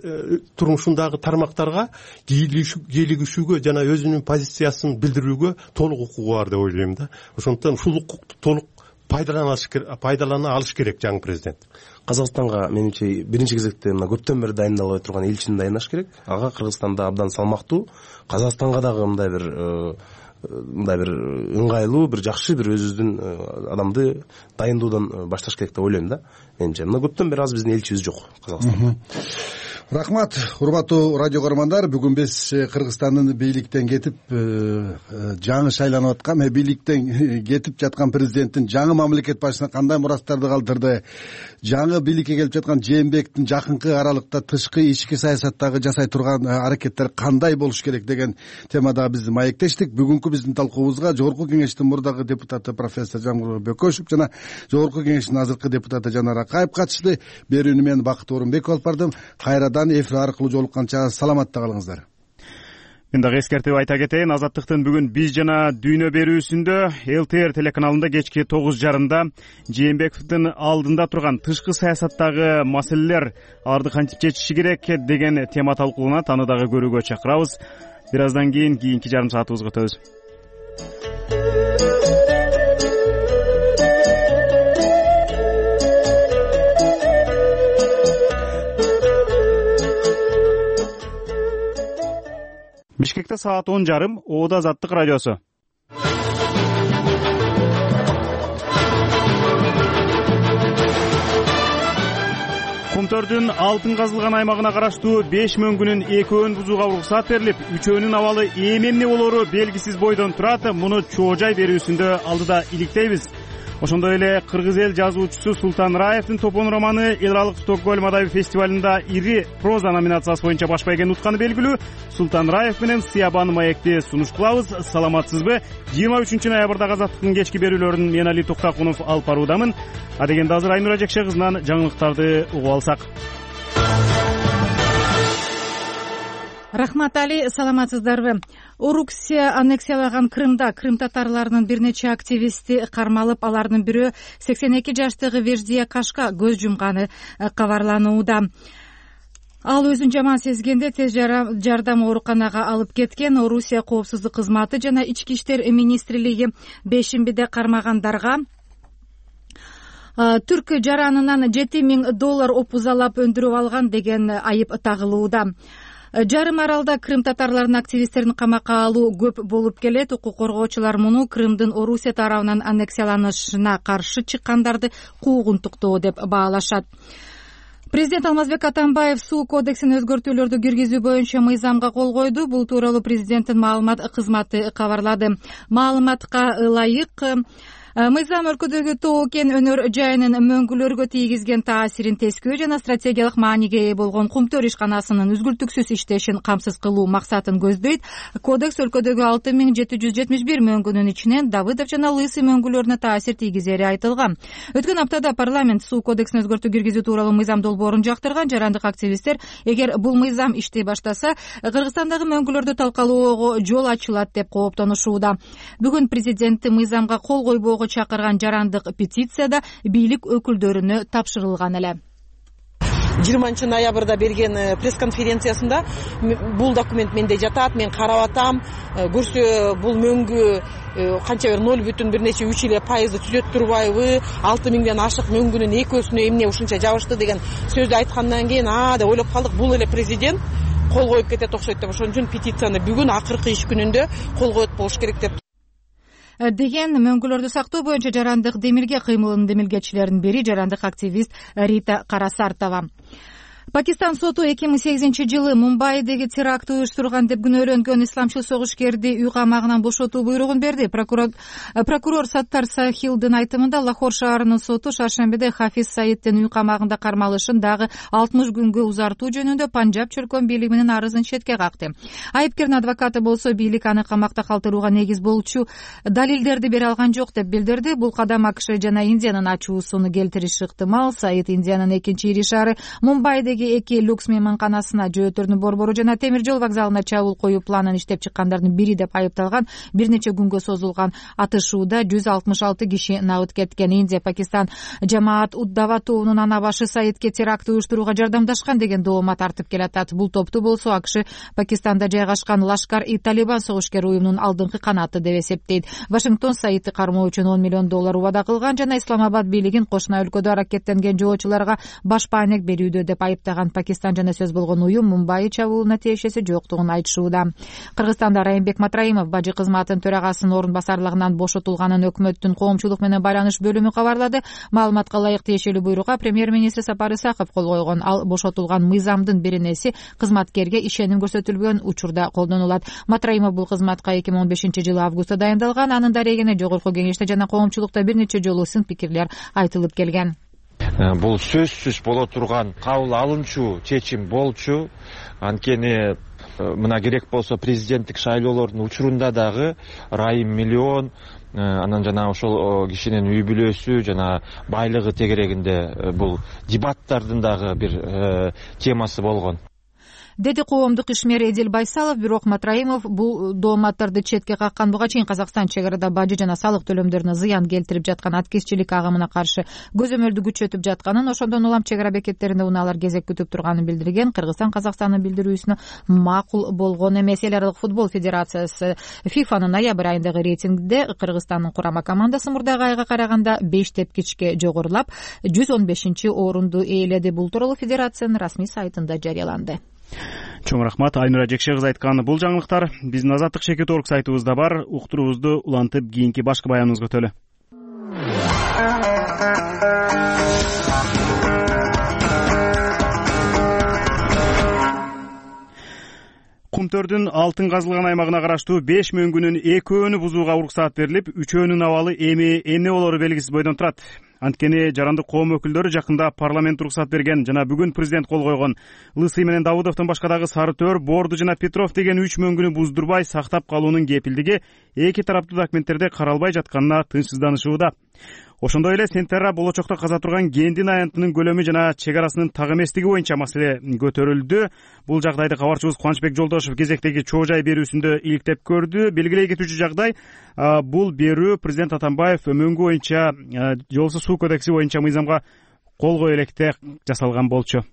турмушундагы тармактарга кийлигишүүгө жана өзүнүн позициясын билдирүүгө толук укугу бар деп ойлойм да. Ошондуктан ушул укукту толук пайдалана алыш керек жаңы президент. Казакстанга менимче биринчи кезекте мына көптөн бери дайындалбай турган элчини дайындаш керек. Ага Кыргызстанда абдан салмактуу, Казакстанга дагы мындай бир мындай бир ыңгайлуу, бир жакшы бир өзүбүздүн адамды дайындоодан башташ керек деп ойлойм да. Менимче мына көптөн бери аз биздин элчибиз жок Казакстанда. Рахмат, урматтуу радио көрөрмандар. Бүгүн биз Кыргызстандын бийликтен кетип жаңы шайланып аткан, бийликтен кетип жаткан президенттин жаңы мамлекет башчысына кандай мурастарды калтырды, жаңы бийликке келип жаткан Жээнбековдун жакынкы аралыкта тышкы ички саясаттагы жасай турган аракеттер кандай болуш керек деген темада биз маектештик. Бүгүнкү биздин талкуубузга Жогорку Кеңештин мурдагы депутаты профессор Жамбырбек Бөкөшев жана Жогорку Кеңештин азыркы депутаты Жанар Акаев катышты. Берүүнү мен Бакыт Орунбеков алып бардым. Кайрадан эфир аркылуу жолукканча саламатта калыңыздар. Мен дагы эскертип айта кетейин, Азаттыктын бүгүн биз жана дүйнө берүүсүндө эл тэ эр телеканалында кечки тогуз жарымда Жээнбековдун алдында турган тышкы саясаттагы маселелер, аларды кантип чечиши керек деген тема талкууланат. Аны дагы көрүүгө чакырабыз. Бир аздан кийин кийинки жарым саатыбызга өтөбүз. Бишкекте саат он жарым, Оода Азаттык радиосу. Кумтөрдүн алтын казылган аймагына караштуу беш мөңгүнүн экөөнүн бузууга уруксат берилип, үчөөнүн абалы эми эмне болоору белгисиз бойдон турат. Муну чоо жай берүүсүндө алдыда иликтейбиз. Ошондой эле кыргыз эл жазуучусу Султан Раевдин Топон романы эл аралык Стокгольм адабий фестивалында ири проза номинациясы боюнча баш байгени утканы белгилүү. Султан Раев менен Сыябан маекти сунуш кылабыз. Саламатсызбы? жыйырма үчүнчү ноябрдагы Азаттыктын кечки берүүлөрүн мен Али Токтакунов алып баруудамын. А дегенде азыр Айнура Жекше кызынан жаңылыктарды угуп алсак. Рахмат, Али, саламатсыздарбы? Орусия аннексиялаган Крымда Крым татарларынын бир нече активисти кармалып, алардын бирөө сексен эки жаштагы Веждия Кашка көз жумганы кабарланууда. Ал өзүн жаман сезгенде тез жардам ооруканага алып кеткен. Орусия коопсуздук кызматы жана ички иштер министрлиги бешембиде кармагандарга түрк жаранынан жети миң доллар опузалап өндүрүп алган деген айып тагылууда. Жарым аралда Крым татарларынын активисттерин камакка алуу көп болуп келет. Укук коргоочулар муну Крымдын Орусия тарабынан аннексияланышына каршы чыккандарды куугунтуктоо деп баалашат. Президент Алмазбек Атамбаев суу кодексин өзгөртүүлөрдү киргизүү боюнча мыйзамга кол койду. Бул тууралуу президенттин маалымат кызматы кабарлады. Маалыматка ылайык, мыйзам өлкөдөгү тоо кен өнөр жайынын мөңгүлөргө тийгизген таасирин тескөө жана стратегиялык мааниге ээ болгон Кумтөр ишканасынын үзгүлтүксүз иштешин камсыз кылуу максатын көздөйт. Кодекс өлкөдөгү алты миң жети жүз жетимиш бир мөңгүнүн ичинен Давыдов жана Лысый мөңгүлөрүнө таасир тийгизери айтылган. Өткөн аптада парламент суу кодексин өзгөртүү киргизүү тууралуу мыйзам долбоорун жактырган. Жарандык активисттер эгер бул мыйзам иштей баштаса, Кыргызстандагы мөңгүлөрдү талкалоого жол ачылат деп кооптонушууда. Бүгүн президенти мыйзамга кол койбоого чакырган жарандык петицияда бийлик өкүлдөрүнө тапшырылган эле. жыйырманчы ноябрда берген пресс-конференциясында бул документ менде жатат, мен карап атам, көрсө бул мөңгү канча бир ноль бүтүн бир нече үч эле пайызды түзөт турбайбы, алты миңден ашык мөңгүнүн экөөсүнө эмне ушунча жабышты деген сөздү айткандан кийин а деп ойлоп калдык, бул эле президент кол коюп кетет окшойт деп. Ошон үчүн петицияны бүгүн акыркы иш күнүндө кол коет болуш керек деп деген мөңгүлөрдү сактоо боюнча жарандык демилге кыймылынын демилгечилеринин бири жарандык активист Рита Карасартова. Пакистан соту эки миң сегизинчи жылы Мумбайдеги теракт уюштурган деп күнөөлөнгөн исламчыл согушкерди үй камагынан бошотуу буйругун берди. Прокурор, прокурор Саттар Сахилдин айтымында Лахор шаарынын соту шаршембиде Хафиз Саиддин үй камагында кармалышын дагы алтымыш күнгө узартуу жөнүндө Панжаб чөлкөн бийлиги менен арызын четке какты. Айыпкердин адвокаты болсо бийлик аны камакта калтырууга негиз болчу далилдерди бере алган жок деп билдирди. Бул кадам АКШ жана Индиянын ачуусуну келтириши ыктымал. Саид Индиянын экинчи ири шаары Мумбайдеги эки люкс мейманканасына, жөөтөрдүн борбору жана темир жол вокзалына чабуул коюу планын иштеп чыккандардын бири деп айыпталган. Бир нече күнгө созулган атышууда жүз алтымыш алты киши набыт кеткен. Индия Пакистан жамаат Уддава тобунун ана башы Саидке теракт уюштурууга жардамдашкан деген доомат тартып келатат. Бул топту болсо АКШ Пакистанда жайгашкан Лашкар-и-Талибан согушкер уюмунун алдыңкы канаты деп эсептейт. Вашингтон Саидти кармоо үчүн он миллион доллар убада кылган жана Исламабад бийлигин кошуна өлкөдө аракеттенген жоочуларга баш паанек берүүдө деп айыптаган. баштаган Пакистан жана сөз болгон уюм Мумбай чабуулуна тиешеси жоктугун айтышууда. Кыргызстанда Райымбек Матраимов бажы кызматынын төрагасынын орун басарлыгынан бошотулганын өкмөттүн коомчулук менен байланыш бөлүмү кабарлады. Маалыматка ылайык тиешелүү буйрукка премьер-министр Сапар Исаков кол койгон. Ал бошотулган мыйзамдын биринеси кызматкерге ишеним көрсөтүлбөгөн учурда колдонулат. Матраимов бул кызматка эки миң он бешинчи жылы августта дайындалган. Анын дарегине жогорку кеңеште жана коомчулукта бир нече жолу сын пикирлер айтылып келген. Бул сөзсүз боло турган кабыл алынчу чечим болчу. Анткени мына керек болсо президенттик шайлоолордун учурунда дагы Райым миллион, анан жана ошол кишинин үй бүлөсү жана байлыгы тегерегинде бул дебаттардын дагы бир темасы болгон, деди коомдук ишмер Эдил Байсалов. Бирок Матраимов бул дооматтарды четке каккан. Буга чейин Казакстан чек арада бажы жана салык төлөмдөрүнө зыян келтирип жаткан аткезчилик агымына каршы көзөмөлдү күчөтүп жатканын, ошондон улам чек ара бекеттеринде унаалар кезек күтүп турганын билдирген. Кыргызстан Казакстандын билдирүүсүнө макул болгон эмес. Эл аралык футбол федерациясы фифанын ноябрь айындагы рейтингде Кыргызстандын курама командасы мурдагы айга караганда беш тепкичке жогорулап жүз он бешинчи орунду ээледи. Бул тууралуу федерациянын расмий сайтында жарыяланды. Чоң рахмат. Айнура Жекше кызы айткан бул жаңылыктар биздин Азаттык Шеке Торг сайтыбызда бар. Уктуруубузду улантып кийинки башкы баяныбызга өтөлү. Кумтөрдүн алтын казылган аймагына караштуу беш мөңгүнүн экөөнү бузууга уруксаат берилип, үчөөнүн абалы эми эмне болору белгисиз бойдон турат. Анткени жарандык коом өкүлдөрү жакында парламент уруксаат берген жана бүгүн президент кол койгон Лысый менен Давыдовдун башка дагы Сары Төр, Борду жана Петров деген үч мөңгүнү буздурбай сактап калуунун кепилдиги эки тараптуу документтерде каралбай жатканына тынчсызданышууда. Ошондой эле сентябрда болочокто каза турган кендин аянтынын көлөмү жана чек арасынын так эместиги боюнча маселе көтөрүлдү. Бул жагдайды кабарчыбыз Кубанычбек Жолдошев кезектеги чоо жай берүүсүндө иликтеп көрдү. Белгилей кетүүчү жагдай бул берүү президент Атамбаев мөңгү боюнча жолсуз суу кодекси боюнча мыйзамга кол кое электе жасалган болчу.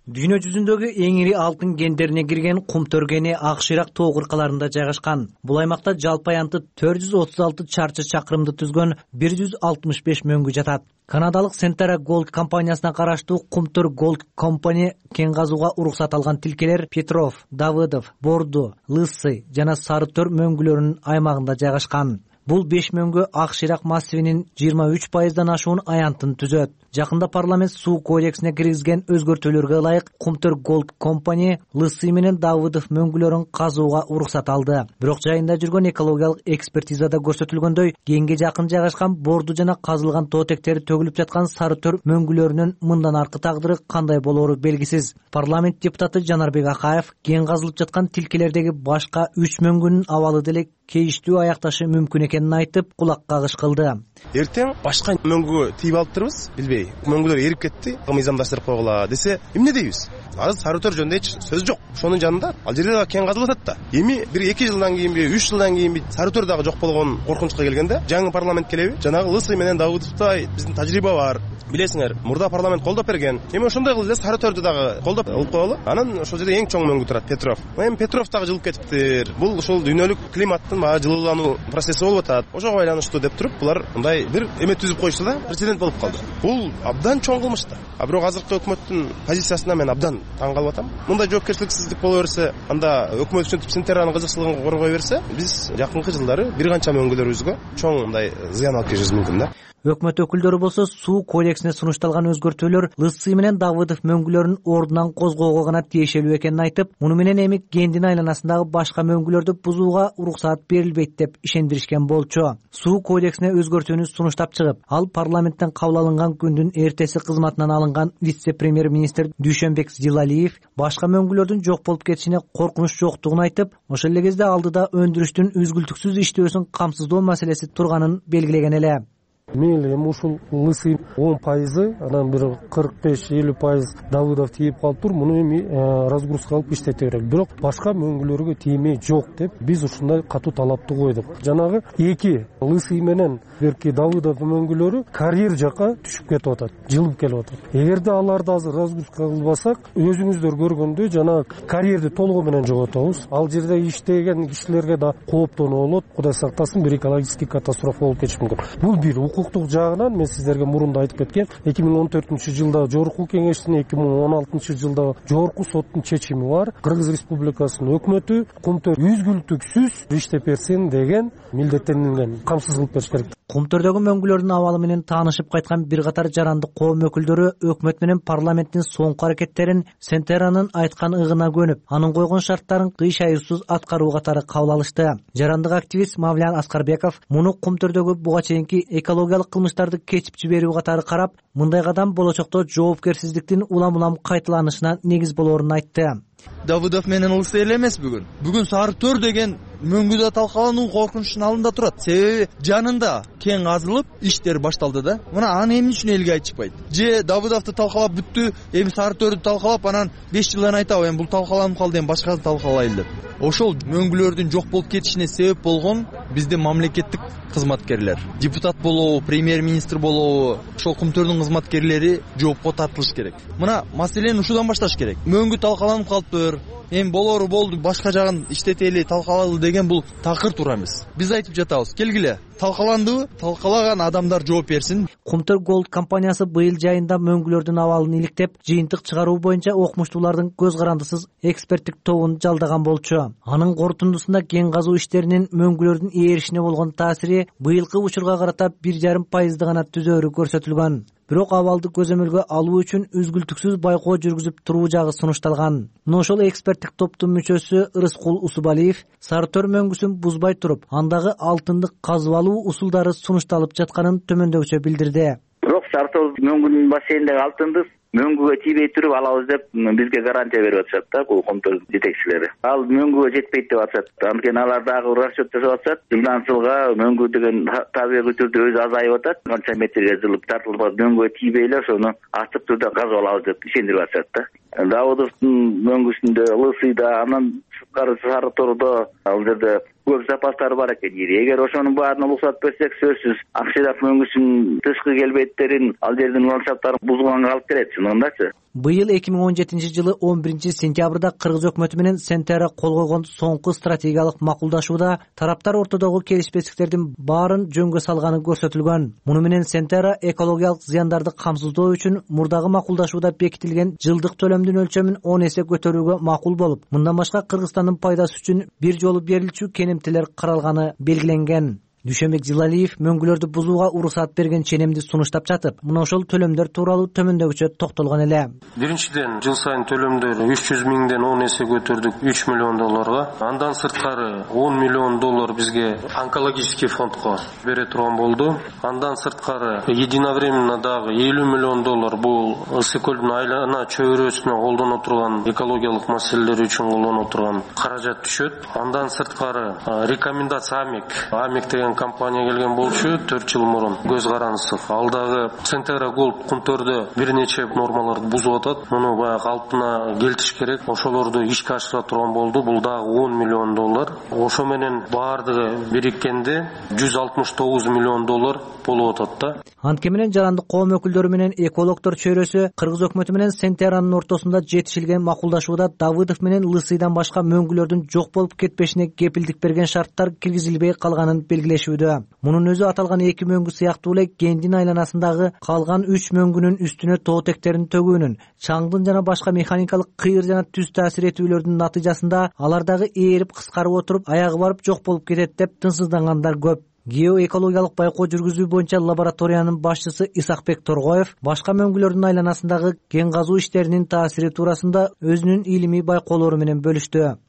Дүйнө жүзүндөгү эң ири алтын кендерине кирген Кумтөр кени Ак Шыйрак тоо кыркаларында жайгашкан. Бул аймакта жалпы аянты төрт жүз отуз алты чарчы чакырымды түзгөн бир жүз алтымыш беш мөңгү жатат. Канадалык Centara Gold компаниясына караштуу Кумтөр Gold Company кен казууга уруксат алган тилкелер Петров, Давыдов, Борду, Лысый жана Сары Төр мөңгүлөрүнүн аймагында жайгашкан. Бул беш мөңгү Ак Шыйрак массивинин жыйырма үч пайыздан ашуун аянтын түзөт. Жакында парламент суу кодексине киргизген өзгөртүүлөргө ылайык Кумтөр Gold Company Лысый менен Давыдов мөңгүлөрүн казууга уруксат алды. Бирок жайында жүргөн экологиялык экспертизада көрсөтүлгөндөй, кенге жакын жайгашкан Борду жана казылган тоотектери төгүлүп жаткан Сары Төр мөңгүлөрүнүн мындан аркы тагдыры кандай болоору белгисиз. Парламент депутаты Жанарбек Акаев кен казылып жаткан тилкелердеги башка үч мөңгүнүн абалы деле кейиштүү аякташы мүмкүн экенин айтып, кулак кагыш кылды. Эртең башка мөңгү тийип алыптырбыз, билбей. Мөңгүлөр эрип кетти, мыйзамдаштырып койгула десе, эмне дейбиз? Азыр Сары Төр жөнүндө эч сөз жок. Ошонун жанында ал жерде кен казылып атат да. Эми бир эки жылдан кийинби, үч жылдан кийинби Сары Төр дагы жок болгон коркунучка келгенде, жаңы парламент келеби? Жанагы Лысый менен Давыдовда биздин тажрыйба бар. Билесиңер, мурда парламент колдоп берген. Эми ошондой кылып эле Сары Төрдү дагы колдоп алып коелу. Анан ошол жерде эң чоң мөңгү турат Петров. Эми Петров дагы жылып кетиптир. Бул ошол дүйнөлүк климаттын баягы жылуулануу процесси болуп атат. Ошого байланыштуу деп туруп, булар мындай бир эме түзүп коюшту да, прецедент болуп калды. Бул абдан чоң кылмыш да. А бирок азыркы өкмөттүн позициясына мен абдан таң калып атам. Мындай жоопкерчиликсиздик боло берсе, анда өкмөт ушинтип Сентеранын кызыкчылыгын коргой берсе, биз жакынкы жылдары бир канча мөңгүлөрүбүзгө чоң мындай зыян алып келишибиз мүмкүн да. Өкмөт өкүлдөрү болсо суу кодексине сунушталган өзгөртүүлөр Лысый менен Давыдов мөңгүлөрүн ордунан козгоого гана тиешелүү экенин айтып, муну менен эми кендин айланасындагы башка мөңгүлөрдү бузууга уруксаат берилбейт деп ишендиришкен болчу. Суу кодексине өзгөртүүнү сунуштап чыгып, ал парламенттен кабыл алынган күндүн эртеси кызматынан алынган вице-премьер-министр Дүйшөнбек Зилалиев башка мөңгүлөрдүн жок болуп кетишине коркунуч жоктугун айтып, ошол эле кезде алдыда өндүрүштүн үзгүлтүксүз иштөөсүн камсыздоо маселеси турганын белгилеген эле. Мейли эми ушул Лысый он пайызы, анан бир кырк беш элүү пайыз Давыдов тийип калыптыр. Муну эми разгрузка кылып иштете берет. Бирок башка мөңгүлөргө тиймей жок деп биз ушундай катуу талапты койдук. Жанагы эки Лысый менен берки Давыдов мөңгүлөрү карьер жака түшүп кетип атат, жылып келип атат. Эгерде аларды азыр разгрузка кылбасак, өзүңүздөр көргөндөй жана карьерди толугу менен жоготобуз. Ал жерде иштеген кишилерге да кооптонуу болот. Кудай сактасын, бир экологический катастрофа болуп кетиши мүмкүн. Бул бир укуктук жагынан мен сиздерге мурун да айтып кеткем, эки миң он төртүнчү жылда жогорку кеңештин, эки миң он алтынчы жылда жогорку соттун чечими бар. Кыргыз Республикасынын өкмөтү Кумтөр үзгүлтүксүз иштеп берсин деген милдеттенилген, камсыз кылып бериш керек. Кумтөрдөгү мөңгүлөрдүн абалы менен таанышып кайткан бир катар жарандык коом өкүлдөрү өкмөт менен парламенттин соңку аракеттерин Сентеранын айткан ыгына көнүп, анын койгон шарттарын кыйшайырсыз аткаруу катары кабыл алышты. Жарандык активист Мавлян Аскарбеков муну Кумтөрдөгү буга чейинки экологиялык кылмыштарды кечип жиберүү катары карап, мындай кадам болочокто жоопкерсиздиктин улам-улам кайталанышына негиз болоорун айтты. Давыдов менен Лысый эле эмес бүгүн. Бүгүн Сары Төр деген мөңгүдө талкалануу коркунучтун алдында турат. Себеби жанында кең казылып, иштер башталды да. Мына аны эмне үчүн элге айтышпайт? Же Давыдовду талкалап бүттү, эми Сары Төрдү талкалап, анан беш жылдан айтабы, эми бул талкаланып калды, эми башкасын талкалайлы деп. Ошол мөңгүлөрдүн жок болуп кетишине себеп болгон биздин мамлекеттик кызматкерлер. Депутат болобу, премьер-министр болобу, ошол Кумтөрдүн кызматкерлери жоопко тартылыш керек. Мына маселени ушудан башташ керек. Мөңгү талкаланып калыптыр, эми болору болду, башка жагын иштетели, талкалалы деген бул такыр туура эмес. Биз айтып жатабыз, келгиле, талкаландыбы, талкалаган адамдар жооп берсин. Кумтөр Голд компаниясы быйыл жайында мөңгүлөрдүн абалын иликтеп, жыйынтык чыгаруу боюнча окумуштуулардын көз карандысыз эксперттик тобун жалдаган болчу. Анын корутундусунда кен казуу иштеринин мөңгүлөрдүн ээришине болгон таасири быйылкы учурга карата бир жарым пайызды гана түзөөрү көрсөтүлгөн. Бирок абалды көзөмөлгө алуу үчүн үзгүлтүксүз байкоо жүргүзүп туруу жагы сунушталган. Мына ошол эксперттик топтун мүчөсү Рыскул Усубалиев Сары Төр мөңгүсүн бузбай туруп, андагы алтынды казып алуу усулдары сунушталып жатканын төмөндөгүчө билдирди. Бирок Сары Төр мөңгүнүн бассейниндеги алтынды мөңгүгө тийбей туруп алабыз деп бизге гарантия берип атышат да, бул Кумтөр жетекчилери. Ал мөңгүгө жетпейт деп атышат. Анткени алар дагы расчет жасап атышат. Жылдан жылга мөңгү деген табигый түрдө өзү азайып атат. Канча метрге жылып тартылып мөңгүгө тийбей эле ошону ачык түрдө казып алабыз деп ишендирип атышат да. Давыдовдун мөңгүсүндө, Лысыйда, анан сырткары Сары Тордо ал жерде көп запастары бар экен. Эгер ошонун баарына уруксат берсек, сөзсүз Акширак мөңгүсүнүн тышкы келбеттерин, ал жердин ландшафттарын бузганга алып келет, чынындачы. Быйыл эки миң он жетинчи жылы он биринчи сентябрда Кыргыз өкмөтү менен Сентера кол койгон соңку стратегиялык макулдашууда тараптар ортодогу келишпестиктердин баарын жөнгө салганы көрсөтүлгөн. Муну менен Сентера экологиялык зыяндарды камсыздоо үчүн мурдагы макулдашууда бекитилген жылдык төлөмдүн өлчөмүн он эсе көтөрүүгө макул болуп, мындан башка Кыргызстандын пайдасы үчүн бир жолу берилчү кенемтелер каралганы белгиленген. Дүйшөнбек Жылалиев мөңгүлөрдү бузууга уруксат берген ченемди сунуштап жатып, мына ошол төлөмдөр тууралуу төмөндөгүчө токтолгон эле. Биринчиден, жыл сайын төлөмдөр үч жүз миңден он эсе көтөрдүк, үч миллион долларга. Андан сырткары он миллион доллар бизге онкологический фондко бере турган болду. Андан сырткары единовременно дагы элүү миллион доллар бул Ысык көлдүн айлана чөйрөсүнө колдоно турган экологиялык маселелер үчүн колдоно турган каражат түшөт. Андан сырткары рекомендация Амик, Амик деген компания келген болчу төрт жыл мурун. Көз карандысыз. Ал дагы Сентера Голд Кумтөрдө бир нече нормаларды бузуп атат. Муну баягы калпына келтириш керек. Ошолорду ишке ашыра турган болду. Бул дагы он миллион доллар. Ошо менен баардыгы бириккенде жүз алтымыш тогуз миллион доллар болуп атат да. Анткени менен жарандык коом өкүлдөрү менен экологдор чөйрөсү Кыргыз өкмөтү менен Сентеранын ортосунда жетишилген макулдашууда Давыдов менен Лысыйдан башка мөңгүлөрдүн жок болуп кетпешине кепилдик берген шарттар киргизилбей калганын белгилешүүдө. Мунун өзү аталган эки мөңгү сыяктуу эле кендин айланасындагы калган үч мөңгүнүн үстүнө тоотектерин төгүүнүн, чаңдын жана башка механикалык кыйыр жана түз таасир этүүлөрдүн натыйжасында алар дагы ээрип кыскарып отуруп аягы барып жок болуп кетет деп тынчсыздангандар көп. Геоэкологиялык байкоо жүргүзүү боюнча лабораториянын башчысы Исакбек Торгоев башка мөңгүлөрдүн айланасындагы кен казуу иштеринин таасири туурасында өзүнүн илимий байкоолору менен бөлүштү.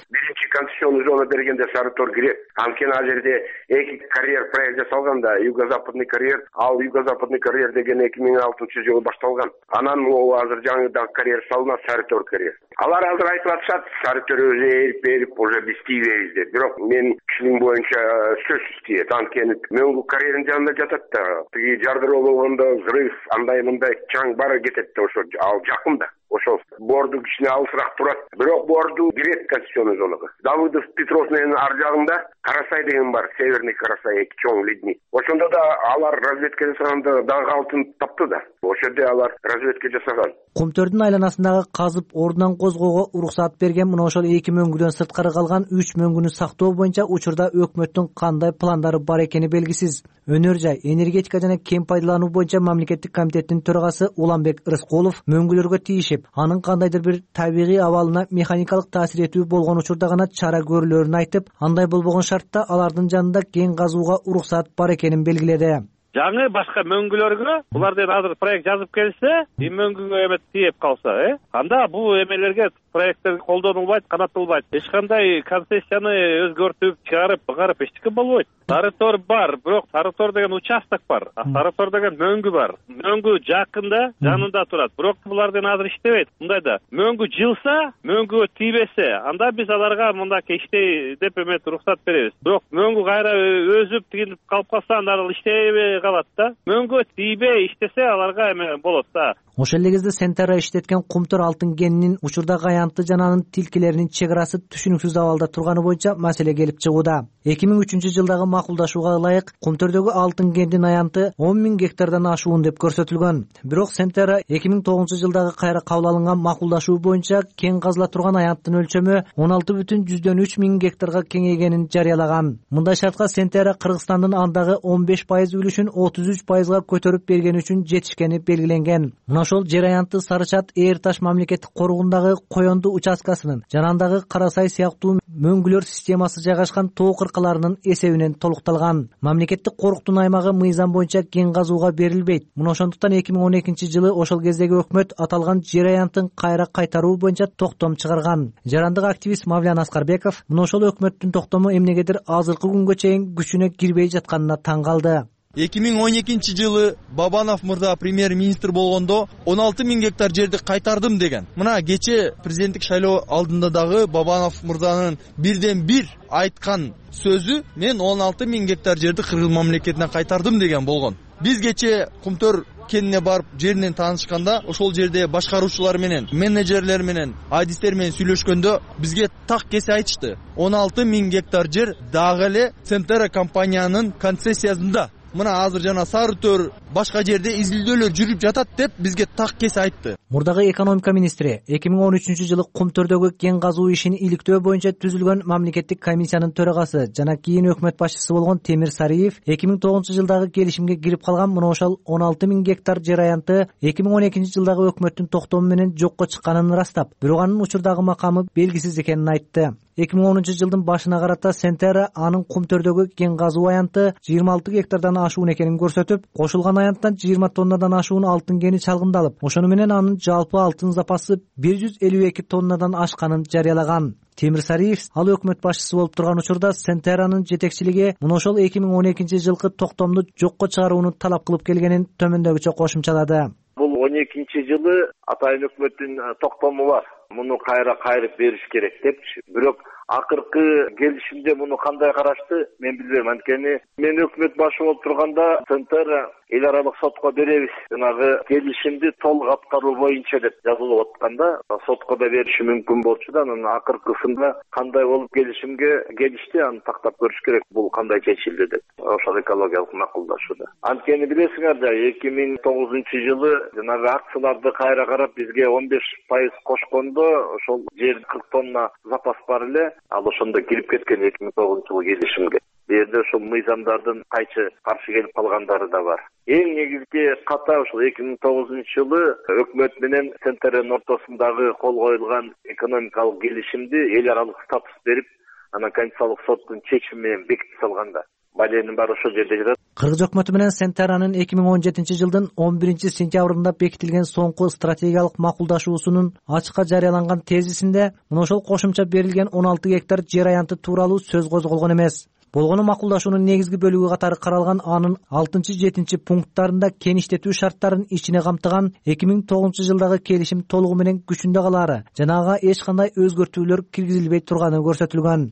Биринчи концессионный зона бергенде Сары Тор кирет. Анткени ал жерде эки карьер проект жасалган да, юго-западный карьер, ал юго-западный карьер деген эки миң алтынчы жылы башталган. Анан могу азыр жаңыдан карьер салынат, Сары Тор карьер. Алар азыр айтып атышат, Сары Тор өзү эрип эрип уже биз тийбейбиз деп. Бирок мен кишинин боюнча сөзсүз тийет. Анткени мөңгү карьердин жанында жатат да. Тиги жардыроо болгондо взрыв, андай мындай чаң бары кетет да, ошо ал жакын да. Ошол борду кичине алысыраак турат. Бирок борду кирет концессионный зонага. Давыдов Петров менен ар жагында Карасай деген бар, Северный Карасай, эки чоң ледник. Ошондо да алар разведка жасаганда дагы алтын тапты да. Ошол жерде алар разведка жасаган. Кумтөрдүн айланасындагы казып ордунан козгоого уруксаат берген мына ошол эки мөңгүдөн сырткары калган үч мөңгүнү сактоо боюнча учурда өкмөттүн кандай пландары бар экени белгисиз. Өнөр жай, энергетика жана кем пайдалануу боюнча мамлекеттик комитеттин төрагасы Уланбек Рыскулов мөңгүлөргө тийишип, анын кандайдыр бир табигый абалына механикалык таасир этүү болгон учурда гана чара көрүлөрүн айтып, андай болбогон шартта алардын жанында кен казууга уруксаат бар экенин белгиледи. Жаңы башка мөңгүлөргө булардан азыр проект жазып келсе, и мөңгүгө эме тийип калса, э, анда бул эмелерге проекттер колдонулбайт, канатталбайт. Эч кандай концессияны өзгөртүп, чыгарып, ыгарып эчтеке болбойт. Сарытор бар, бирок Сарытор деген участок бар. А Сарытор деген мөңгү бар. Мөңгү жакында, жанында турат. Бирок булардан азыр иштебейт. Мындайда мөңгү жылса, мөңгүгө тийбесе, анда биз аларга мындай иштей деп эме уруксат беребиз. Бирок мөңгү кайра өзүп тигилип калып калса, анда иштебей калат да. Мөңгү тийбей иштесе аларга эме болот да. Ошол эле кезде Сентера иштеткен Кумтөр алтын кенинин учурдагы аянты жана анын тилкелеринин чек арасы түшүнүксүз абалда турганы боюнча маселе келип чыгууда. эки миң үчүнчү жылдагы макулдашууга ылайык Кумтөрдөгү алтын кенинин аянты он миң гектардан ашуун деп көрсөтүлгөн. Бирок Сентера эки миң тогузунчу жылдагы кайра кабыл алынган макулдашуу боюнча кен казыла турган аянттын өлчөмү он алты бүтүн жүздөн үч миң гектарга кеңейгенин жарыялаган. Мындай шартка Сентера Кыргызстандын андагы он беш пайыз үлүшүн отуз үч пайызга көтөрүп бергени үчүн жетишкени белгиленген. Ошол жер аянты Сарычат Эр Таш мамлекеттик коргондагы Коёнду участкасынын жана андагы Карасай сыяктуу мөңгүлөр системасы жайгашкан тоо кыркаларынын эсебинен толукталган. Мамлекеттик коруктун аймагы мыйзам боюнча кен казууга берилбейт. Мына ошондуктан эки миң он экинчи жылы ошол кездеги өкмөт аталган жер аянтын кайра кайтаруу боюнча токтом чыгарган. Жарандык активист Мавлян Аскарбеков мына ошол өкмөттүн токтому эмнегедир азыркы күнгө чейин күчүнө кирбей жатканына таң калды. эки миң он экинчи жылы Бабанов мырза премьер-министр болгондо он алты миң гектар жерди кайтардым деген. Мына кече президенттик шайлоо алдында дагы Бабанов мырзанын бирден бир айткан сөзү мен он алты миң гектар жерди Кыргыз мамлекетине кайтардым деген болгон. Биз кече Кумтөр кенине барып жеринен таанышканда ошол жерде башкаруучулар менен, менеджерлер менен, адистер менен сүйлөшкөндө бизге так кесе айтышты. он алты миң гектар жер дагы эле Сентера компаниянын концессиясында. Мына азыр жана Сарытөр башка жерде изилдөөлөр жүрүп жатат деп бизге так кесе айтты. Мурдагы экономика министри эки миң он үчүнчү жылы Кумтөрдөгү кен казуу ишин иликтөө боюнча түзүлгөн мамлекеттик комиссиянын төрагасы жана кийин өкмөт башчысы болгон Темир Сариев эки миң тогузунчу жылдагы келишимге кирип калган мына ошол он алты миң гектар жер аянты эки миң он экинчи жылдагы өкмөттүн токтому менен жокко чыкканын ырастап, бирок анын учурдагы макамы белгисиз экенин айтты. эки миң онунчу жылдын башына карата Сентера анын Кумтөрдөгү кен казуу аянты жыйырма алты гектардан ашуун экенин көрсөтүп, кошулган аянттан жыйырма тоннадан ашуун алтын кени чалгындалып, ошону менен анын жалпы алтын запасы бир жүз элүү эки тоннадан ашканын жарыялаган. Темир Сариев ал өкмөт башчысы болуп турган учурда Сентеранын жетекчилиги мына ошол эки миң он экинчи жылкы токтомду жокко чыгарууну талап кылып келгенин төмөндөгүчө кошумчалады. Бул он экинчи жылы атайын өкмөттүн токтому бар. Муну кайра кайрып бериш керек депчи. Бирок акыркы келишимде муну кандай карашты мен билбейм. Анткени мен өкмөт башы болуп турганда Сентера эл аралык сотко беребиз. Жанагы келишимди толук аткаруу боюнча деп жазылып атканда сотко да бериши мүмкүн болчу да, анын акыркысында кандай болуп келишимге келишти, аны тактап көрүш керек. Бул кандай чечилди деп. Ошол экологиялык макулдашууда. Анткени билесиңер да эки миң тогузунчу жылы жанагы акцияларды кайра карап бизге он беш пайыз кошкондо ошол жер кырк тонна запас бар эле. Ал ошондо кирип кеткен эки миң тогузунчу жылы келишимге. Бу жерде ошол мыйзамдардын кайчы каршы келип калгандары да бар. Эң негизги ката ошол эки миң тогузунчу жылы өкмөт менен Сентеранын ортосундагы кол коюлган экономикалык келишимди эл аралык статус берип, анан Конституциялык соттун чечими менен бекитип салганда. Баленин баары ошол жерде жатат. Кыргыз өкмөтү менен Сентеранын эки миң он жетинчи жылдын он биринчи сентябрында бекитилген соңку стратегиялык макулдашуусунун ачыкка жарыяланган тезисинде мына ошол кошумча берилген он алты гектар жер аянты тууралуу сөз козголгон эмес. Болгону макулдашуунун негизги бөлүгү катары каралган анын алтынчы жетинчи пункттарында кен иштетүү шарттарын ичине камтыган эки миң тогузунчу жылдагы келишим толугу менен күчүндө калаары жана ага эч кандай өзгөртүүлөр киргизилбей турганы көрсөтүлгөн.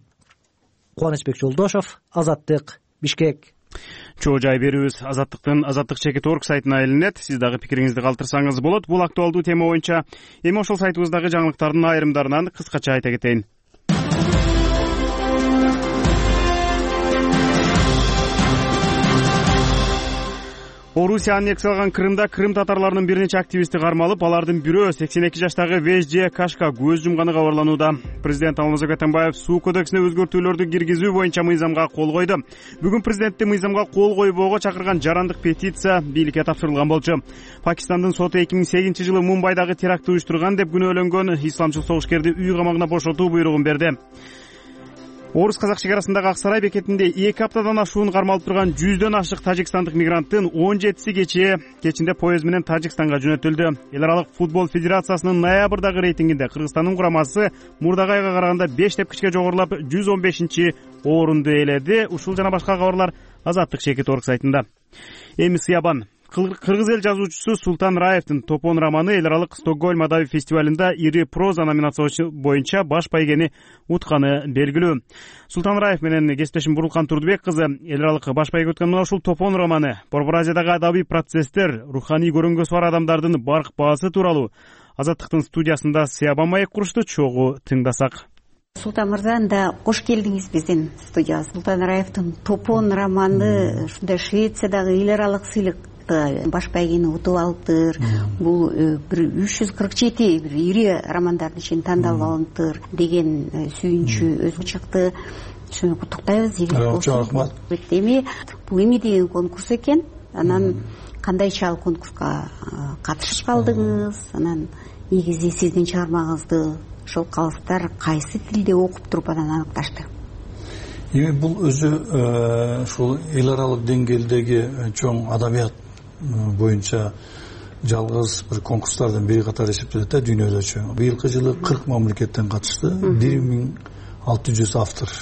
Кубанычбек Жолдошов, Азаттык, Бишкек. Чоо жай берүүбүз Азаттыктын азаттык чекит орг сайтына илинет. Сиз дагы пикириңизди калтырсаңыз болот. Бул актуалдуу тема боюнча эми ошол сайтыбыздагы жаңылыктардын айрымдарынан кыскача айта кетейин. Орусия аннексияланган Крымда крым татарларынын бир нече активисти кармалып, алардын бирөө сексен эки жаштагы Вежде Кашка көз жумганы кабарланууда. Президент Алмазбек Атамбаев суу кодексине өзгөртүүлөрдү киргизүү боюнча мыйзамга кол койду. Бүгүн президентти мыйзамга кол койбоого чакырган жарандык петиция бийликке тапшырылган болчу. Пакистандын соту эки миң сегизинчи жылы Мумбайдагы терактты уюштурган деп күнөөлөнгөн исламчыл согушкерди үй камагына бошотуу буйругун берди. Орус казак чегарасындагы Ак Сарай бекетинде эки аптадан ашуун кармалып турган жүздөн ашык тажикстандык мигранттын он жетиси кечээ кечинде поезд менен Тажикстанга жөнөтүлдү. Эл аралык футбол федерациясынын ноябрдагы рейтингинде Кыргызстандын курамасы мурдагы айга караганда беш тепкичке жогорулап жүз он бешинчи орунду ээледи. Ушул жана башка кабарлар Азаттык Чекит орг сайтында. Эми Сыябан. Кыргыз эл жазуучусу Султан Раевдин Топон романы эл аралык Стокгольм адабий фестивалында ири проза номинациясы боюнча баш байгени утканы белгилүү. Султан Раев менен кесиптешим Бурулкан Турдубек кызы эл аралык баш байга өткөн мына ушул Топон романы Борбор Азиядагы адабий процесстер, руханий көрүнгөсү бар адамдардын барк баасы тууралуу. Азаттыктын студиясында Сыябан маек курушту, чогуу тыңдасак. Султан мырза, анда кош келдиңиз биздин студияга. Султан Раевдин Топон романы ушундай Швециядагы эл аралык сыйлык баш байгени утуп алыптыр. Бул бир үч жүз кырк жети бир ири романдардын ичинен тандалып алыныптыр деген сүйүнчү өзү чыкты. Шуну куттуктайбыз. Рахмат. Эми бул эми деген конкурс экен. Анан кандайча ал конкурска катышып калдыңыз? Анан негизи сиздин чыгармаңызды ошол калыстар кайсы тилде окуп туруп анан аныкташты? Эми бул өзү ушул эл аралык деңгээлдеги чоң адабият боюнча жалгыз бир конкурстардын бири катары эсептелет да дүйнөдөчү. Быйылкы жылы кырк мамлекеттен катышты, бир миң алты жүз автор.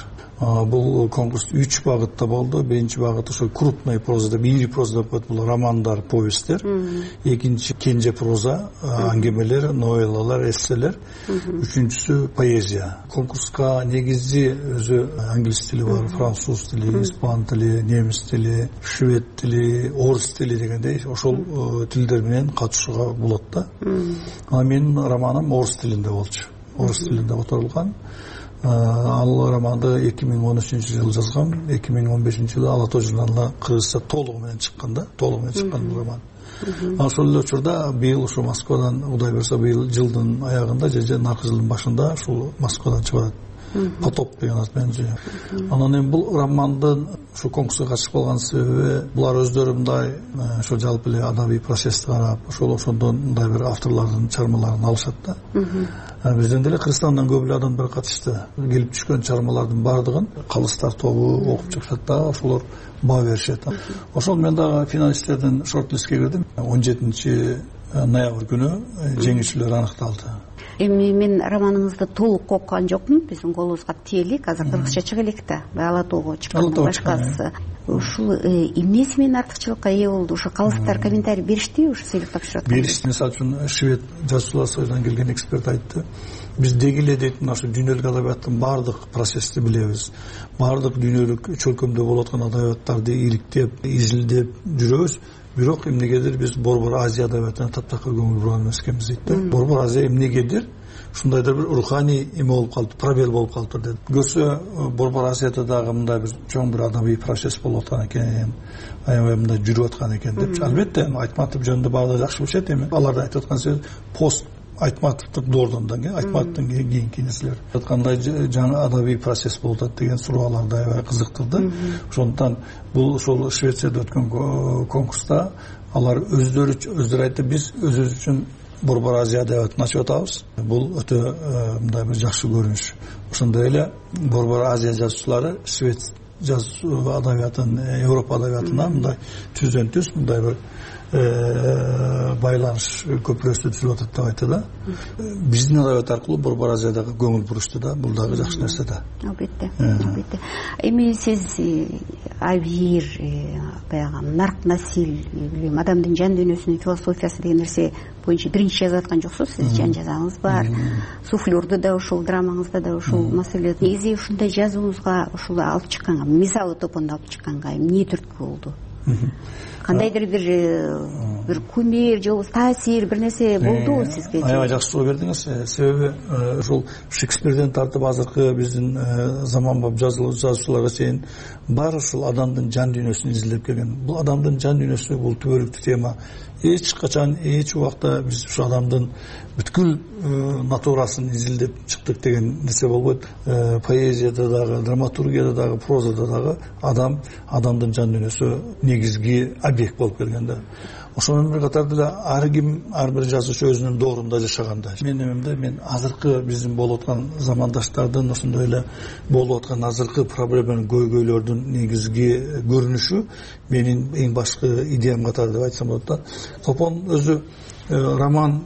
Бул конкурс үч багытта болду. Биринчи багыт ошо крупный проза деп, ири проза деп коет, бул романдар, повесттер. Экинчи кенже проза, аңгемелер, новеллалар, эсселер. Үчүнчүсү поэзия. Конкурска негизи өзү англис тили бар, француз тили, испан тили, немис тили, швед тили, орус тили дегендей ошол тилдер менен катышууга болот да. Анан менин романым орус тилинде болчу. Орус тилинде которулган. Ал романды эки миң он үчүнчү жылы жазгам, эки миң он бешинчи жылы Ала тоо журналына кыргызча толугу менен чыккан да, толугу менен чыккан бул роман. Ошол эле учурда быйыл ушу Москвадан, Кудай буйрса, быйыл жылдын аягында же наркы жылдын башында ушул Москвадан чыгат. Потоп деген ат менен жөө. Анан эми бул романдын ушу конкурска катышып калган себеби булар өздөрү мындай ошо жалпы эле адабий процессти карап, ошол ошондон мындай бир авторлордун чыгармаларын алышат да. Бизден деле Кыргызстандан көп эле адамдар катышты. Келип түшкөн чыгармалардын баардыгын калыстар тобу окуп чыкышат да, ошолор баа беришет. Ошол мен дагы финалисттердин шорт-листке кирдим. он жетинчи ноябрь күнү жеңүүчүлөр аныкталды. Эми мен романыңызды толук окуган жокмун. Биздин колубузга тиелик, азыр кыргызча чыга элек да. Ала тоого чыккан башкасы. Ушул эмнеси менен артыкчылыкка ээ болду? Ошо калыстар комментарий беришти, ошо сыйлык тапшырат. Беришти. Мисалы үчүн швед жазуучулар союзунан келген эксперт айтты. Биз дегиле дейт, мына ушу дүйнөлүк адабияттын баардык процессти билебиз. Баардык дүйнөлүк чөлкөмдө болуп аткан адабияттарды иликтеп, изилдеп жүрөбүз. Бирок эмнегедир биз Борбор Азия адабиятына таптакыр көңүл бурган эмес экенбиз дейт да. Борбор Азия эмнегедир ушундайдыр бир руханий эме болуп калды, пробел болуп калды деп. Көрсө Борбор Азияда дагы мындай бир чоң бир адабий процесс болуп аткан экен, аябай мындай жүрүп аткан экен деп. Албетте Айтматов жөнүндө баардыгы жакшы билишет. Эми аларды айтып аткан сөз пост Айтматовдук доордон, Айтматовдун кийинки нерселер айткандай жаңы адабий процесс болуп атат деген суроолорду аябай кызыктырды. Ошондуктан бул ошол Швецияда өткөн конкурста алар өздөрү өздөрү айтты, биз өзүбүз үчүн Борбор Азия адабиятын ачып атабыз. Бул өтө мындай бир жакшы көрүнүш. Ошондой эле Борбор Азия жазуучулары Швед жазуу адабиятын, Европа адабиятына мындай түздөн түз мындай бир байланыш көпүрөсү түзүлүп атат деп айтты да. Биздин адабият аркылуу Борбор Азиядагы көңүл бурушту да. Бул дагы жакшы нерсе да. Албетте, албетте. Эми сиз Абир, баягы нарк насил, билем, адамдын жан дүйнөсүнүн философиясы деген нерсе боюнча биринчи жазып аткан жоксуз. Сиз жан жазаңыз бар. Суфлёрдо да ушул, драмаңызда да ушул маселе. Негизи ушундай жазууңузга ушул алып чыкканга, мисалы Топонду алып чыкканга эмне түрткү болду? кандайдыр бир бир кумир же болбосо таасир бир нерсе болдубу сизге? Аябай жакшы суроо бердиңиз. Себеби ушул Шекспирден тартып азыркы биздин заманбап жазуучуларга чейин баары ушул адамдын жан дүйнөсүн изилдеп келген. Бул адамдын жан дүйнөсү бул түбөлүктүү тема. Эч качан эч убакта биз ушу адамдын бүткүл натурасын изилдеп чыктык деген нерсе болбойт. Поэзияда дагы, драматургияда дагы, прозада дагы адам адамдын жан дүйнөсү негизги объект болуп келген да. Ошонун бир катарда да ар ким, ар бир жазуучу өзүнүн доорунда жашаганда. Менин эмемде мен азыркы биздин болуп аткан замандаштардын ошондой эле болуп аткан азыркы проблеманын көйгөйлөрдүн негизги көрүнүшү менин эң башкы идеям катары деп айтсам болот да. Топон өзү роман,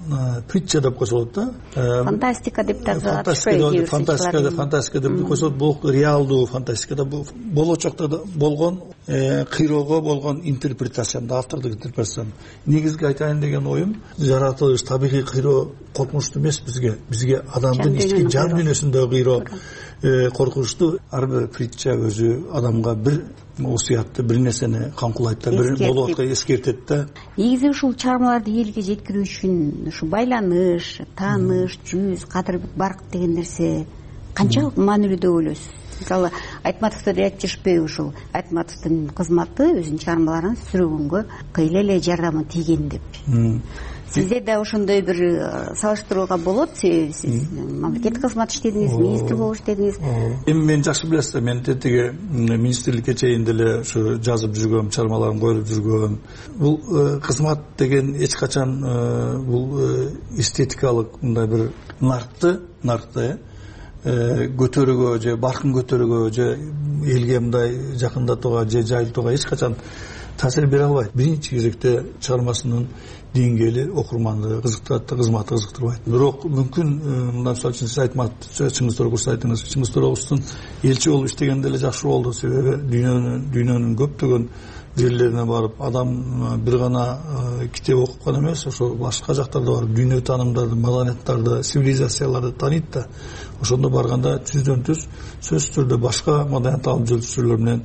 притча деп койсо болот да. Фантастика деп да атышпайбы? Фантастика, фантастика деп койсо бул реалдуу фантастикада болочокто болгон кыйроого болгон интерпретациям да, автордук интерпретациям. Негизги айтайын деген оюм, жаратылыш, табигый кыйроо коркунучтуу эмес бизге. Бизге адамдын ички жан дүйнөсүндөгү кыйроо коркунучтуу. Ар бир притча өзү адамга бир осуятты, бир нерсени камкулайт да, бир болуп аткан эскертет да. Негизи ушул чыгармаларды элге жеткирүү үчүн ушу байланыш, тааныш, жүз, кадыр барк деген нерсе канчалык маанилүү деп ойлойсуз? Мисалы, Айтматовдо деле айтып жүрүшпөйбү ушул Айтматовдун кызматы өзүнүн чыгармаларын сүрөгөнгө кыйла эле жардамы тийген деп. Сизде да ошондой бир салыштырууга болот. Сиз мамлекеттик кызмат иштедиңиз, министр болуп иштедиңиз. Эми мен жакшы билесиз да, мен тетиги министрликке чейин деле ушу жазып жүргөм, чыгармаларым коюлуп жүргөн. Бул кызмат деген эч качан бул эстетикалык мындай бир нартты, нартты көтөрүүгө же баркын көтөрүүгө же элге мындай жакындатууга же жайылтууга эч качан таасир бере албайт. Биринчи кезекте чыгармасынын деңгээли окурманды кызыктырат, кызматы кызыктырбайт. Бирок мүмкүн мындан мисалы үчүн сиз айтмат, Чыңгыз Тоорогусу айтыңыз. Чыңгыз Тоорогустун элчи болуп иштегенде эле жакшы болду. Себеби дүйнөнүн дүйнөнүн көптөгөн жерлерине барып, адам бир гана китеп окуп гана эмес, ошо башка жактарда барып, дүйнө таанымдарды, маданияттарды, цивилизацияларды тааныйт да. Ошондо барганда жүздөн жүз сөзсүз түрдө башка маданият алып жүрүүчүлөр менен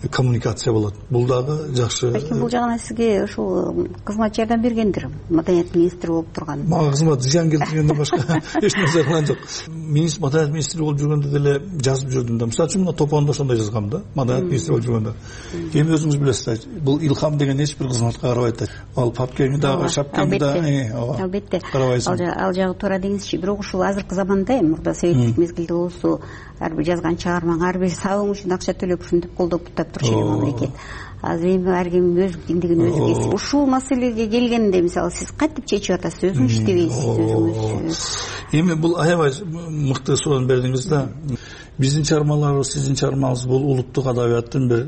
коммуникация болот. Бул дагы жакшы. Балким бул жагынан сизге ушул кызмат жардам бергендир. Маданият министри болуп турган. Мага кызмат зыян келтиргенден башка эч нерсе кылган жок. Министр, маданият министри болуп жүргөндө деле жазып жүрдүм да. Мисалы үчүн мына Топондо ошондой жазгам да. Маданият министри болуп жүргөндө. Эми өзүңүз билесиз, бул илхам деген эч бир кызматка карабайт да. Ал папкени дагы, шапкени да, албетте. Ал жагы туура деңизчи. Бирок ушул азыркы заманда эми мурда советтик мезгилде болсо, ар бир жазган чыгармаң, ар бир сабың үчүн акча төлөп ушинтип колдоп бутап турчу мамлекет. Азыр эми ар ким өз диңдигин өзү кесип. Ушул маселеге келгенде, мисалы, сиз кантип чечип атасыз? Өзүңүз иштебейсиз, өзүңүз. Эми бул аябай мыкты суроо бердиңиз да. Биздин чыгармаларыбыз, сиздин чыгармаңыз бул улуттук адабияттын бир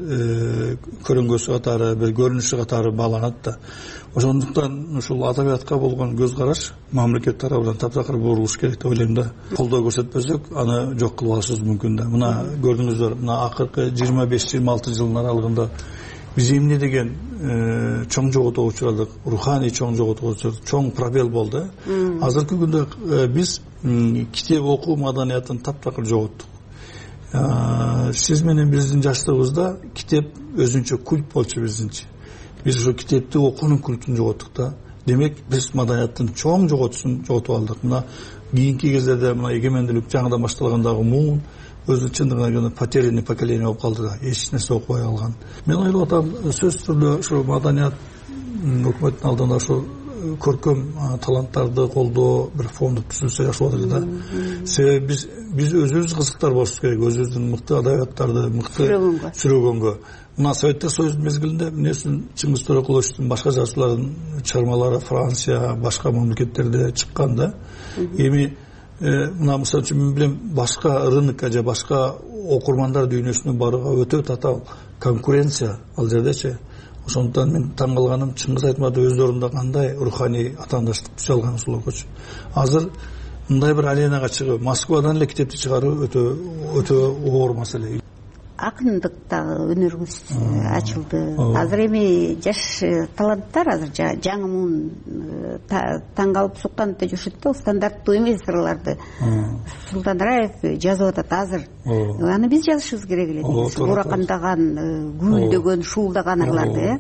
көрөңгөсү катары, бир көрүнүшү катары бааланат да. Ошондуктан ушул адабиятка болгон көз караш мамлекет тарабынан таптакыр бурулуш керек деп ойлойм да. Колдоо көрсөтпөсөк, аны жок кылып алышыбыз мүмкүн да. Мына көрдүңүздөр, мына акыркы жыйырма беш жыйырма алты жылдын аралыгында биз эмне деген чоң жоготууга учурадык, руханий чоң жоготууга учурадык, чоң пробел болду. Азыркы күндө биз китеп окуу маданиятын таптакыр жоготтук. Сиз менен биздин жаштыгыбызда китеп өзүнчө культ болчу биздинчи. Биз ошо китепти окуунун культун жоготтук да. Демек биз маданияттын чоң жоготуусун жоготуп алдык. Мына кийинки кездерде мына эгемендүүлүк жаңыдан башталгандагы муун өзү чындыгына келгенде потерянный поколение болуп калды да. Эч нерсе окубай калган. Мен ойлоп атам, сөзсүз түрдө ошо маданият өкмөттүн алдында ошо көркөм таланттарды колдоо бир фонду түзүлсө жакшы болот эле да. Себеби биз биз өзүбүз кызыктар болушубуз керек, өзүбүздүн мыкты адабияттарды мыкты сүрөгөнгө. Мына Советтер Союзунун мезгилинде эмне үчүн Чыңгыз Тоорокуловичтун башка жазуучулардын чыгармалары Франция, башка мамлекеттерде чыккан да. Эми мына мисалы үчүн мен билем башка рынокко же башка окурмандар дүйнөсүнө барууга өтө татаал конкуренция ал жердечи. Ошондуктан мен таң калганым, Чыңгыз Айтматов өз орунда кандай руханий атаандаштык түзө алган ушулоргочу. Азыр мындай бир аленага чыгып, Москвадан эле китепти чыгаруу өтө өтө оор маселе. акындык дагы өнөрүңүз ачылды. Азыр эми жаш таланттар азыр жаңы муун таң калып сукканды жашат да, стандарттуу эмес ырларды Султан Раев жазып атат азыр. Аны биз жазышыбыз керек эле. Уракандаган, гүлдөгөн, шуулдаган ырларды,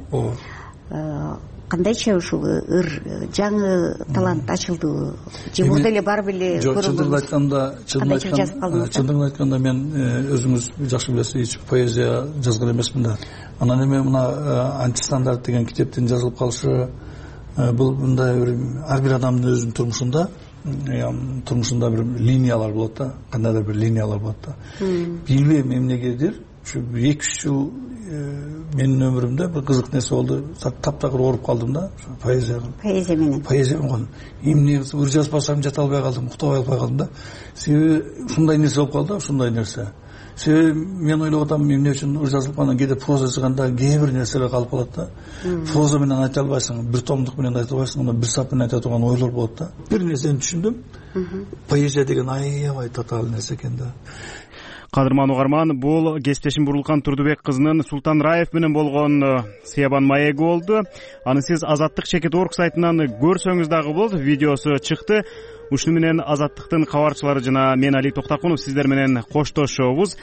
э. Кандайча ушул ыр жаңы талант ачылдыбы? Же мурда эле барып эле көрүлдү? Жок, чындыгын айтканда, чындыгын айтканда мен өзүңүз жакшы билесиз, эч поэзия жазган эмесмин да. Анан эми мына антистандарт деген китептин жазылып калышы бул мындай бир ар бир адамдын өзүнүн турмушунда турмушунда бир линиялар болот да, кандайдыр бир линиялар болот да. Билбейм эмнегедир ушу эки үч жыл менин өмүрүмдө бир кызык нерсе болду. Таптакыр ооруп калдым да поэзияга. Поэзия менен. Поэзия менен. Эмне ыр жазбасам жата албай калдым, уктабай албай калдым да. Себеби ушундай нерсе болуп калды, ушундай нерсе. Себеби мен ойлоп атам, эмне үчүн ыр жазылып калган, кээде проза жазганда кээ бир нерселер калып калат да. Проза менен айта албайсың, бир томдук менен айта албайсың, анда бир сап менен айта турган ойлор болот да. Бир нерсени түшүндүм. Поэзия деген аябай татаал нерсе экен да. Кадырман угарман, бул кесиптешим Бурулкан Турдубек кызынын Султан Раев менен болгон Сыябан маеги болду. Аны сиз Азаттык чекит орг сайтынан көрсөңүз дагы болот, видеосу чыкты. Ушуну менен Азаттыктын кабарчылары жана мен Али Токтакунов сиздер менен коштошобуз.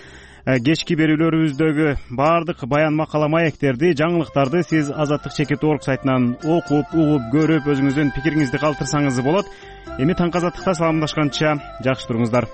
Кечки берүүлөрүбүздөгү баардык баян макала маектерди, жаңылыктарды сиз Азаттык чекит орг сайтынан окуп, угуп, көрүп, өзүңүздүн пикириңизди калтырсаңыз болот. Эми таңкы Азаттыкта саламдашканча жакшы туруңуздар.